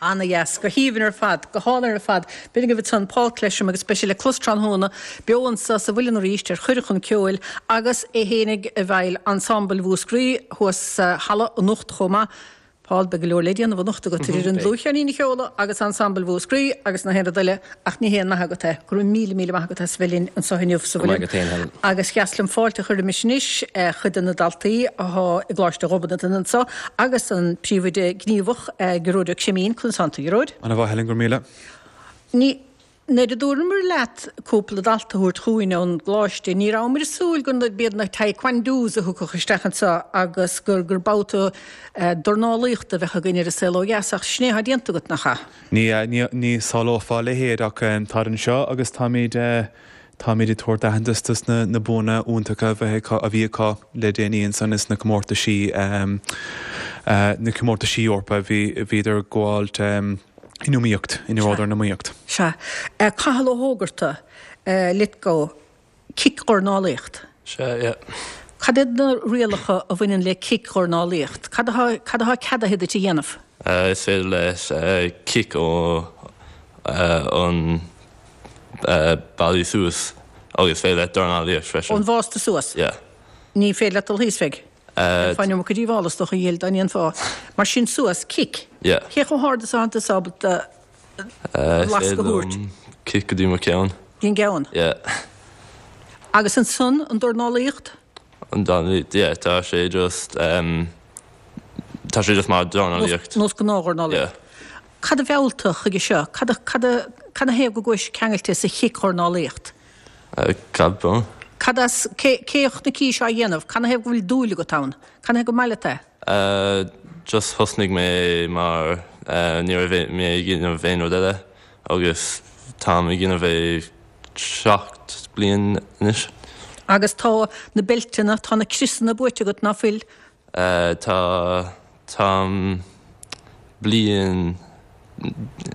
Ana-dheas. Go haoibhinn ar fad. Go hálainn ar fad. B'in agaibh ansan Paul Clesham agus beidh sé le clos tráthnóna beo anso sa Mhuileann arís ar Chuireadh chun Ceoil agus é fhéinig i bhfeighil Ensemble Mhúscraí thuas sa halla anocht chomh maith. Paul, beidh go leor le déanamh anocht agat idir an dlúthcheirnín a sheoladh agus Ensemble Mhúscraí agus na haon rud eile ach ní haon nath agat é. Go raibh míle míle maith agat as a bheith linn anso inniu sa Mhuileann. Agus dheas liom fáilte a chur roimis anois chuid de na daltaí athá i gColáiste Ghobnatan anso agus an príomhoide gníomhach Gearóid Ó Creimín. Conas tánn tú, a Ghearóid? Ana mhaith Helen, go raibh míle. Ní. Nuair a dúramar leat cúpla dalta a thabhairt chugainn ón gcoláiste, ní rabhamar ag súil go b'iad na taekwondos a thiocfadh isteach anseo agus gur gur babhta dornálaíochta a bheadh againn ar An Saol Ó Dheas, ach sin é atá déanta agat, nach ea? Ní ea, ní, ní shamhlófá a leithéid ach táid anseo agus táimid, táimid ag tabhairt aitheantas dos na, na buanna iontacha a bheith acu, a bhí acu le déanaí ansan ins na comórtaisí, na comórtaisí Eorpa a bhí, bhíodar ag gabháilt. In iomaíocht, ina rabhadar in iomaíocht. Sea. Cathal Ó hÓgarta, Lithgow, cic-dhornálaíocht. Sea, yeah. Cad iad na rialacha a bhaineann le cic-dhornálaíocht? Cad atá, cad atá ceadaithe duit a dhéanamh? Is féidir leat cic ó an ballaí suas agus is féidir leat dornálaíocht freisin. Ón bhásta suas? Yeah. Ní féidir leat dul thíos, bheidh? Dhéanfá an iomarca díobhála is dócha, a Ghill, dá ndéanfá. Mar sin suas, cic. Yeah. Cé chomh hard is atánn tusa ábalta lasc a thabhairt? Cic go dtí mo cheann. Dtí an gceann? Yeah. Agus ansan, an dornálaíocht? An dornálaíocht, yeah, tá sé just, tá sé just mar dornálaíocht. Nós gnáthdhornálaíocht. Yeah. Cad a mheall tú chuige seo? Cad a, cad a, canathaobh go gcuais ceangailte sa chicdhornálaíocht? Cad ba? Cad as, cé, cé a chonaic seo á dhéanamh? Canathaobh go bhfuil dúil agat ann? Canathaobh gur maith leat é? Just thosnaigh mé mar ní raibh mé ag déanamh aon rud eile agus táim ag déanamh é 7 bliain anois. Agus tá na beilteanna, tá na criosanna buaite agat, ná fuil? Tá, táim bliain,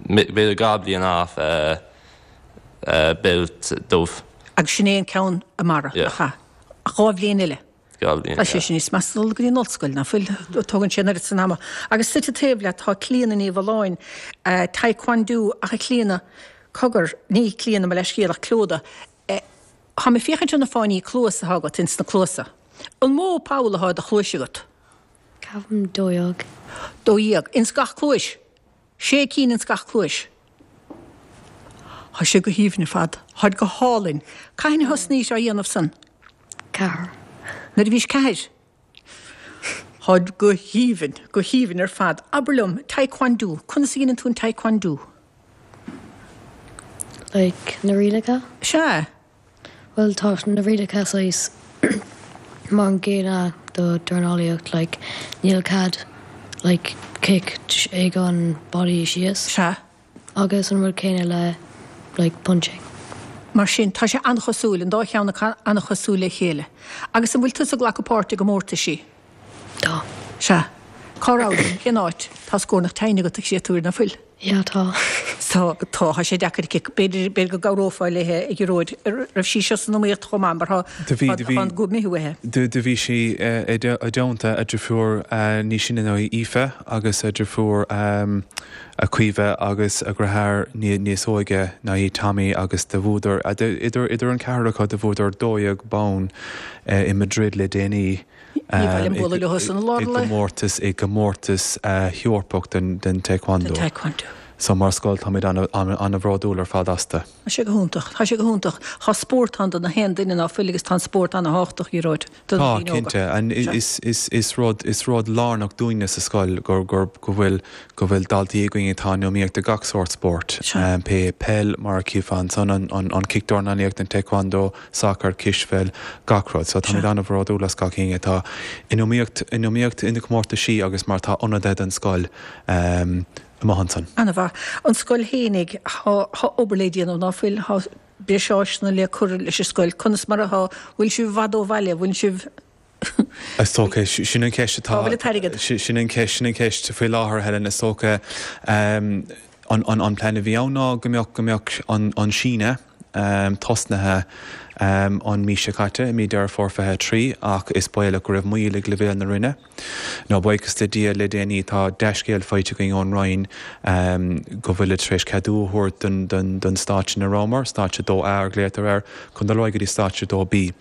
b'fhéidir 2 bliain off beilt dubh. Agus sin é an ceann i mbarra, nach ea? Ach 2 bhliain eile. 2 bhliain, Tá sé sin níos measa dul go dtí an ollscoil, ná fuil? Tógann sé an oiread san ama. Agus suite taobh leat tá Clíona Ní Mhulláin, Taekwondo, ach a Chlíona, cogar, ní Clíona mo leithscéal ach Clóda, Táim ag féachaint ar na fáinní cluas atá agat ins na cluasa. An mó poll atá i do chluais agat? Ceapaim 12. 12. Ins gach cluais? Sé cinn ins gach cluais. Tá sé go haoibhinn ar fad. Táid go hálainn. Cathain a thosnaís á dhéanamh san? Ceathair. Nuair a bhís ceathair? Táid go haoibhinn, go haoibhinn ar fad. Abair liom, Taekwondo, conas a dheineann tú an Taekwondo? Like, na rialacha? Sea. Bhuel, tá na rialacha saghas mar an gcéanna do dornálaíocht, like, níl cead, like, cic ag an body síos. Sea. Agus an rud céanna le like punching. Mar sin, tá sé an-chosúil, an dá cheann acu an-chosúil le chéile. Agus an bhfuil tusa ag glacadh páirt i gcomórtaisí? Tá. Sea. Cá raibh? Cén áit? Tá scornach tinn agat, a chréatúir, ná fuil? Yeah, tá. Tá, tá, tá sé deacair aici. B'fhéidir, b'fhéidir go gcabhrófá léi, a Ghearóid. Raibh sí seo san iomaíocht chomh maith mar tá, Do bhí, do bhí, tá an guth maith uaithi. do, do bhí sí i dteannta a driofúr níos sine ná í, Aoife, agus a driofúr, a Caoimhe agus a dheartháir níos óige ná í, Tommy, agus do bhuadar, idir idir an ceathrar acu, do bhuadar 12 bonn i Madrid le déanaí Ní mhaith liom bualadh leo san i lár i an lae. gcomórtas i gcomórtas Eorpach den den Taekwondo. Den Taekwondo. So mar scoil táimid an-bhródúil ar fad astu. Tá sé go hiontach. Tá sé go hiontach. Tá spórt ann do na haon duine ná fuil agus tá an spórt an-thábhachtach, a Ghearóid, do na Tá, daoine óga. cinnte. And is, is, is rud, is rud lárnach dúinne sa scoil gur, gur, go bhfuil, go bhfuil daltaí againn atá in iomaíocht i gach sórt spóirt. Sea. Pé peil, mar a chífeá ansan, an, an, an cicdornálaíocht, an taekwondo, sacar, cispheil, gach rud. So Sea. táimid an-bhródúil as gach éinne atá in iomaíocht, in iomaíocht ina comórtaisí agus mar atá ionadaithe don scoil. Amuigh ansan. Ana-mhaith. An scoil fhéinig, thá obair le déanamh, ná fuil? Thá breis áiseanna le cur leis an scoil. Conas mar athá? Bhfuil sibh i bhfad ó bhaile? Bhfuil sibh. Is dócha, sin an cheist atá. Cá bhfuil an t-airgead? Sin an cheist, sin an cheist faoi láthair, Helen. Is dócha, an plean a bhí ann ná go mbeadh, go mbeadh an síneadh. tosnaithe an mí seo caite, i mí Deireadh Fómhair 23, ach is baolach go raibh moill ag leibhéal na Roinne. Nó buíochas le Dia, le déanaí tá dea-scéal faighte againn ón Roinn go bhfuilid tar éis ceadú a thabhairt don stáitse ina rabhamar, stáitse 2A a ghlaotar air, chun dul ar aghaidh go dtí stáitse 2B.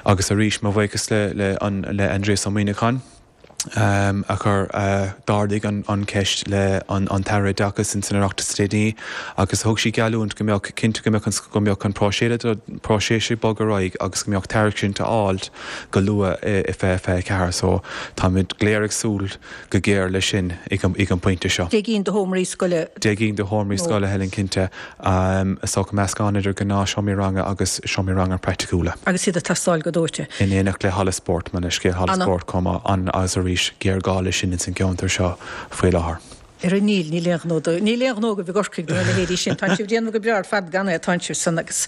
Agus arís, mo bhuíochas le Aindrias Ó Muimhneacháin. a chuir, d'ardaigh an cheist le an tAire Oideachais ins an Oireachtas le déanaí agus thug sí geallúint go mbeadh, cinnte go mbeadh an, go mbeadh an próiseas ag bogadh ar aghaidh agus go mbeadh tairiscint á fháilt go luath i 2024 so táimid go léir ag súil go géar leis sin ag an bpointe seo. Deich gcinn de sheomraí scoile. Deich gcinn de sheomraí scoile, Helen, cinnte. Is dócha meascán idir gnáthsheomraí ranga agus seomraí ranga praiticiúla. Agus iad ag teastáil go dóite. In éineacht le halla spóirt, mo leithscéal, halla spóirt chomh maith, an agus arís, géarghá leis sin ins an gceantar seo faoi láthair. Ar níl, níl aon ghnó do, níl aon gnó agaibh i gCorcaigh do na leithéidí sin. Tánn sibh ag déanamh go breá ar fad gan é, tánn sibh san agus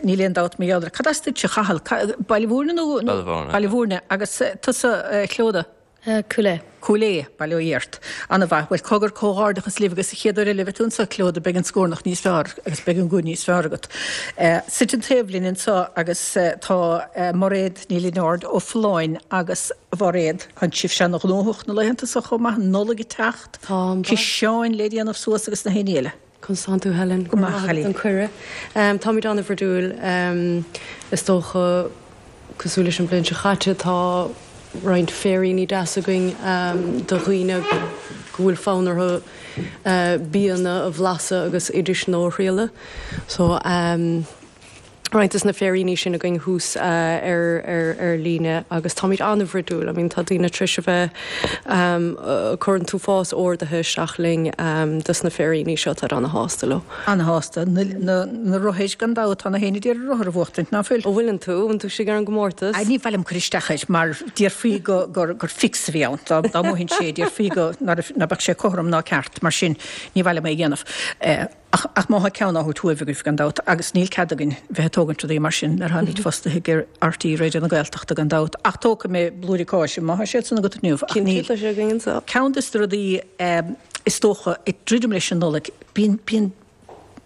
níl aon dabht mar gheall air. Cad as duitse, a Chathail? Baile Mhúirne nó? Baile Mhúirne. Baile Mhúirne. Agus tusa, a Chlíodhna? Cúil Aodha. Cúil Aodha, bail ó Dhia ort. Ana-mhaith. Bhuel, cogar, comhghairdeachas libh agus an chéad uair eile a bheidh tú anseo, Clíodhna, beidh an scornach níos fearr agus beidh an guth níos fearr agat. Suite an taobh linn anseo agus tá Mairéad Ní Lionáird ó Folláin agus a Mhairéad, tánn sibhse ana-ghnóthach na laethanta seo chomh maith, an Nollaig ag teacht, ciseáin le déanamh suas agus na haon ní eile. Conas tánn tú Helen? Go maith, a chailín. Don cuireadh. Táimid an-bhroidiúil. Is dócha, cosúil leis an bhliain seo chaite, tá roinnt féiríní deas againn do dhaoine go bhfuil fonn orthu bianna a bhlaiseadh agus oidis nua a thriaileadh. So. roinnt de na féiríní sin againn thuas ar líne agus táimid an-bhroidiúil. I mean tá daoine tar éis a bheith ag cur an t-uafás orduithe isteach linn dos na féiríní seo, táid ana-shásta leo. Ana-shásta. Na rothair gan dabht, tá na héinne ag iarraidh rothar a bhuachtaint, ná fuil? An bhfuileann tú? An bhfuil tú istigh ar an gcomórtas? Ní mhaith liom cur isteach air mar déarfaí go gur fix a bhí ann. Dá mbuafainn sé, déarfaí go ná beadh sé cothrom ná ceart, mar sin ní mhaith liom é a dhéanamh. Ach má thá ceann á thabhairt uaibh agaibh, gan dabht, agus níl cead againn bheith ag tógaint rudaí mar sin nuair atáimid fostaithe ag RTÉ Raidió na Gaeltachta, gan dabht. Ach tógfaidh mé blúirí cáise, má thá siad san agat inniu. Ach níl. Cinnte, tá sé againn anseo. Ceann des na rudaí is dócha, ag druidim leis an Nollaig, bíonn, bíonn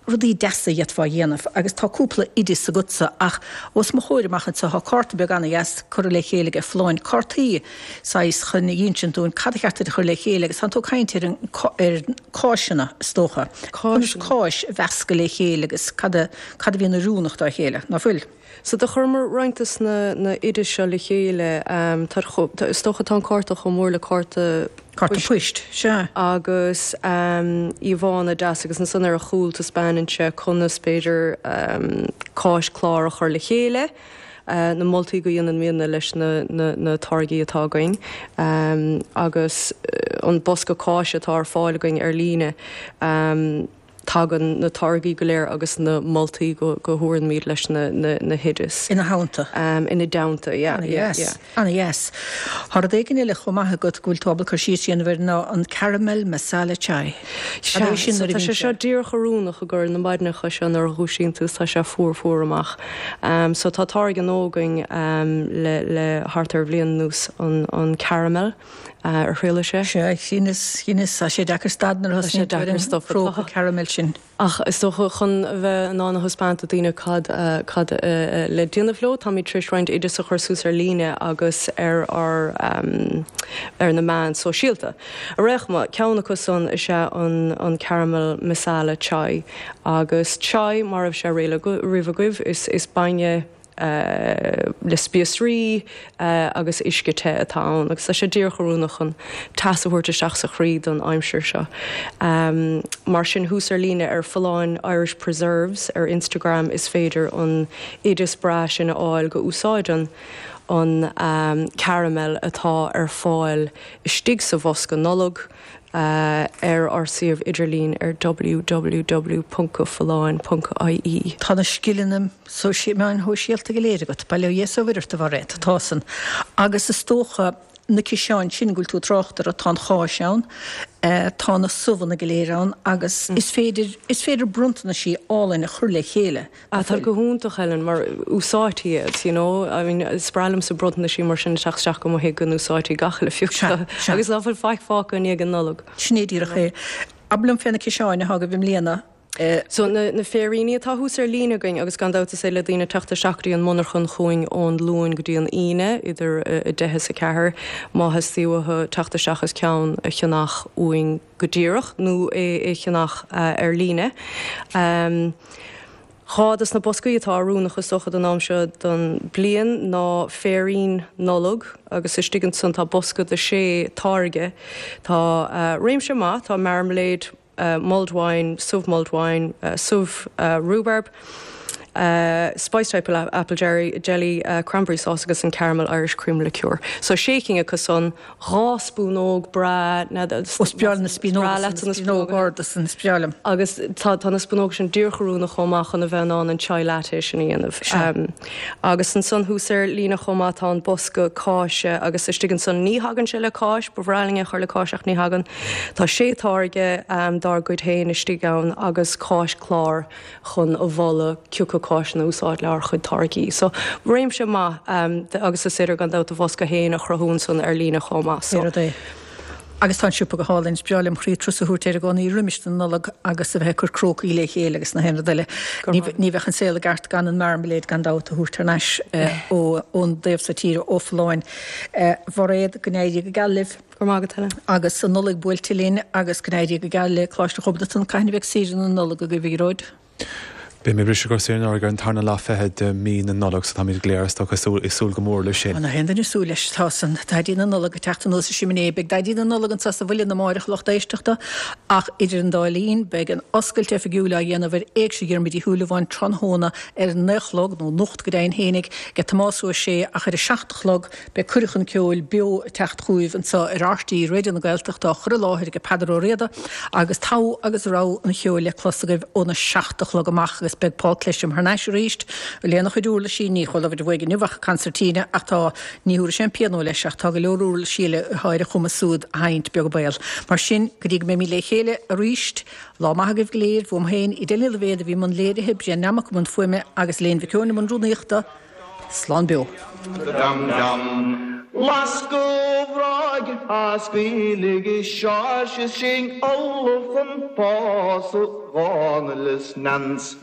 rudaí deasa a d'fhéadfá a dhéanamh agus tá cúpla oideas agatsa ach os mo chomhair amach anseo thá cárta beag ana-dheas curtha le chéile ag Folláin, cártaí saghas chun a insint dúinn cad a cheart duit a chur le chéile agus tánn tú ag caint ar an, ar cáiseanna, is dócha. Conas cáis a mheascadh le chéile agus cad a, cad a bhíonn oiriúnach dá chéile, ná fuil? So do chuireamar roinnt des na, na oidis seo le chéile, tá, tá, is dócha tá an cárta chomh mór le cárta Cárta poist, sea. Agus íomhánna deas agus ansan ar a chúl taispeánann sé conas b'fhéidir cáis clár a chur le chéile. na moltaí go dhéanann muidne leis na táirgí atá againn agus an bosca cáise atá ar fáil againn ar líne. Tagann na táirgí go léir agus na moltaí go thabharaimid leis na hoidis. Ina theannta. Ina dteannta, yeah, yeah, yeah. Ana-dheas. Tá rud éigin eile chomh maith agat go bhfuil tú ábalta cur síos a dhéanamh air ná an caramel masala chai. Cad é sin nuair a bhíonn sé? Tá sé seo díreach oiriúnach i gcomhair na maidineacha seo nuair a dhúisíonn tú is tá sé fuar fuar amach. So tá táirge nua againn le le thart ar bhliain anuas an caramel ar thriail sé. Sea, chinneas, chinneas, tá sé deacair stad nuair a thosnaíonn tú ar an próca caramel sin. Ach is dócha, chun a bheith in ann a thaispeáint do dhaoine cad cad le déanamh leo, táimid tar éis roinnt oideas a chur suas ar líne agus ar ár ar na meáin sóisialta. Ar aon chuma, ceann acu san is ea an an caramel masala chai. Agus chai, mara raibh sé riamh agaibh, is is bainne, le spíosraí agus uisce te atá ann agus tá sé díreach oiriúnach chun teas a thabhairt isteach sa chroí don aimsir seo. Mar sin thuas ar líne ar Folláin Irish Preserves ar Instagram is féidir an oideas breá sin a fháil go úsáideann an caramel atá ar fáil istigh sa bhosca Nollag. ar ár suíomh idirlín ar www.folláin.ie. Tá na scileanna meáin shóisialta go léir agat, bail ó Dhia is ó Mhuire ort, a Mhairéad, tá san. Agus is dócha, na ciseáin sin go bhfuil tú ag trácht orthu, tá an cháis ann, tá na subhanna go léir ann agus is féidir, is féidir bronntanaisí álainn a chur le chéile. Ah, tá go hiontach, Helen, mar úsáidtí iad, you know, I mean, is breá liomsa bronntanaisí mar sin ag teacht isteach go mo thigh go n-úsáidtí gach uile phioc agus ná fuil faic fágtha i ndiaidh an Nollag. Sin é díreach é. Abair liom fé na ciseáin atá agaibh i mbliana. So na féiríní atá thuas ar líne againn agus gan dabht is féidir le daoine teacht isteach go dtí an monarchan chugainn ón Luan go dtí an Aoine idir 10 is 4 má theastaíonn uathu teacht isteach is ceann a cheannach uainn go díreach nó é a cheannach ar líne. Dhá dos na boscaí atá oiriúnach is dócha don am seo don bliain ná féirín Nollag agus istigh ansan tá bosca de sé táirge. Tá réimse maith, tá marmalade, mulled wine, subh mulled wine, subh rhubarb, spiced apple jelly, cranberry sauce agus an caramel Irish cream liqueur. So sé cinn acu san, 2 spúnóg breá, Ó is breá liom na spúnóga san, na spúnóga arda san, is breá liom. Agus tá tá na spúnóga sin díreach oiriúnach chomh maith chun a bheith in ann an chai latte sin a dhéanamh. Sea. Agus ansan thuas ar líne chomh maith tá an bosca cáise agus istigh ansan ní thagann sé le cáis, ba bhreá linn é a chur le cáis ach ní thagann. Tá sé táirge dár gcuid féin istigh ann agus cáischlár chun a mholadh cioca cáiseanna a úsáid le ár chuid táirgí. So, réimse maith agus is féidir gan dabht do bhosca féin a chruthú ansan ar líne chomh maith. So. Rud é. Agus tá an siopa go hálainn. Is breá liom chroí turas a thabhairt air i gcónaí roimis an Nollaig agus a bheith ag cur crócaí le chéile agus na haon rud eile. Ní bheadh an saol i gceart gan an marmalade gan dabht a thabhairt thar n-ais ón dtaobh so tíre ó Folláin. A Mhairéad, go n-éirí go geal libh. Go raibh maith agat, Helen. Agus an Nollaig buailte linn agus go n-éirí go geal le Coláiste Ghobnatan. Cathain a bheidh saoire na Nollag agaibh, a Ghearóid? Beidh mé ag briseadh ar saoire na Nollag ar an tarna lá fichead de mí na Nollag so táimid go léir is dócha ag súil go mór leis sin. Tá na haon duine ag súil leis. Tá san Daidí na Nollag ag teacht anuas an siminé. Beidh Daidí na Nollag anseo sa Mhuileann amáireach, a lucht éisteachta, ach idir an dá linn beidh an oscailt oifigiúil á dhéanamh ar Éigse Dhiarmuid Uí Shúilleabháin tráthnóna ar a naoi a chlog, nó anocht go deimhin fhéinig, ag Tomás Ua Sé ach ar a seacht a chlog Beidh cuireadh chun ceoil beo ag teacht chugaibh anseo ar RTÉ Raidió na Gaeltachta á chur i láthair ag Peadar Ó Riada agus togha agus rogha an cheoil le clos agaibh óna 7 a chlog amach agus beidh Paul Clesham thar n-ais arís lena chuid uirlisí, ní chuala muid uaidh inniu ach concertina ach tá, ní thabharfaidh sé an pianó leis ach tá go leor uirlisí eile atá ar a chumas siúd a sheinnt beag an baol. Mar sin, go dtí go mbeimid le chéile arís, lá maith agaibh go léir, uaim féin, Edel Ní Loibhéad a bhí i mbun léirithe, Brian Nammock i mbun fuaime agus Elaine Mhic Eoin i mbun rúnaíochta. Slán beo. Dum dum. Lasc an bhráid a scaoiligh Seoirse is sinn ullamh chun pósadh Dhónaill is Nance.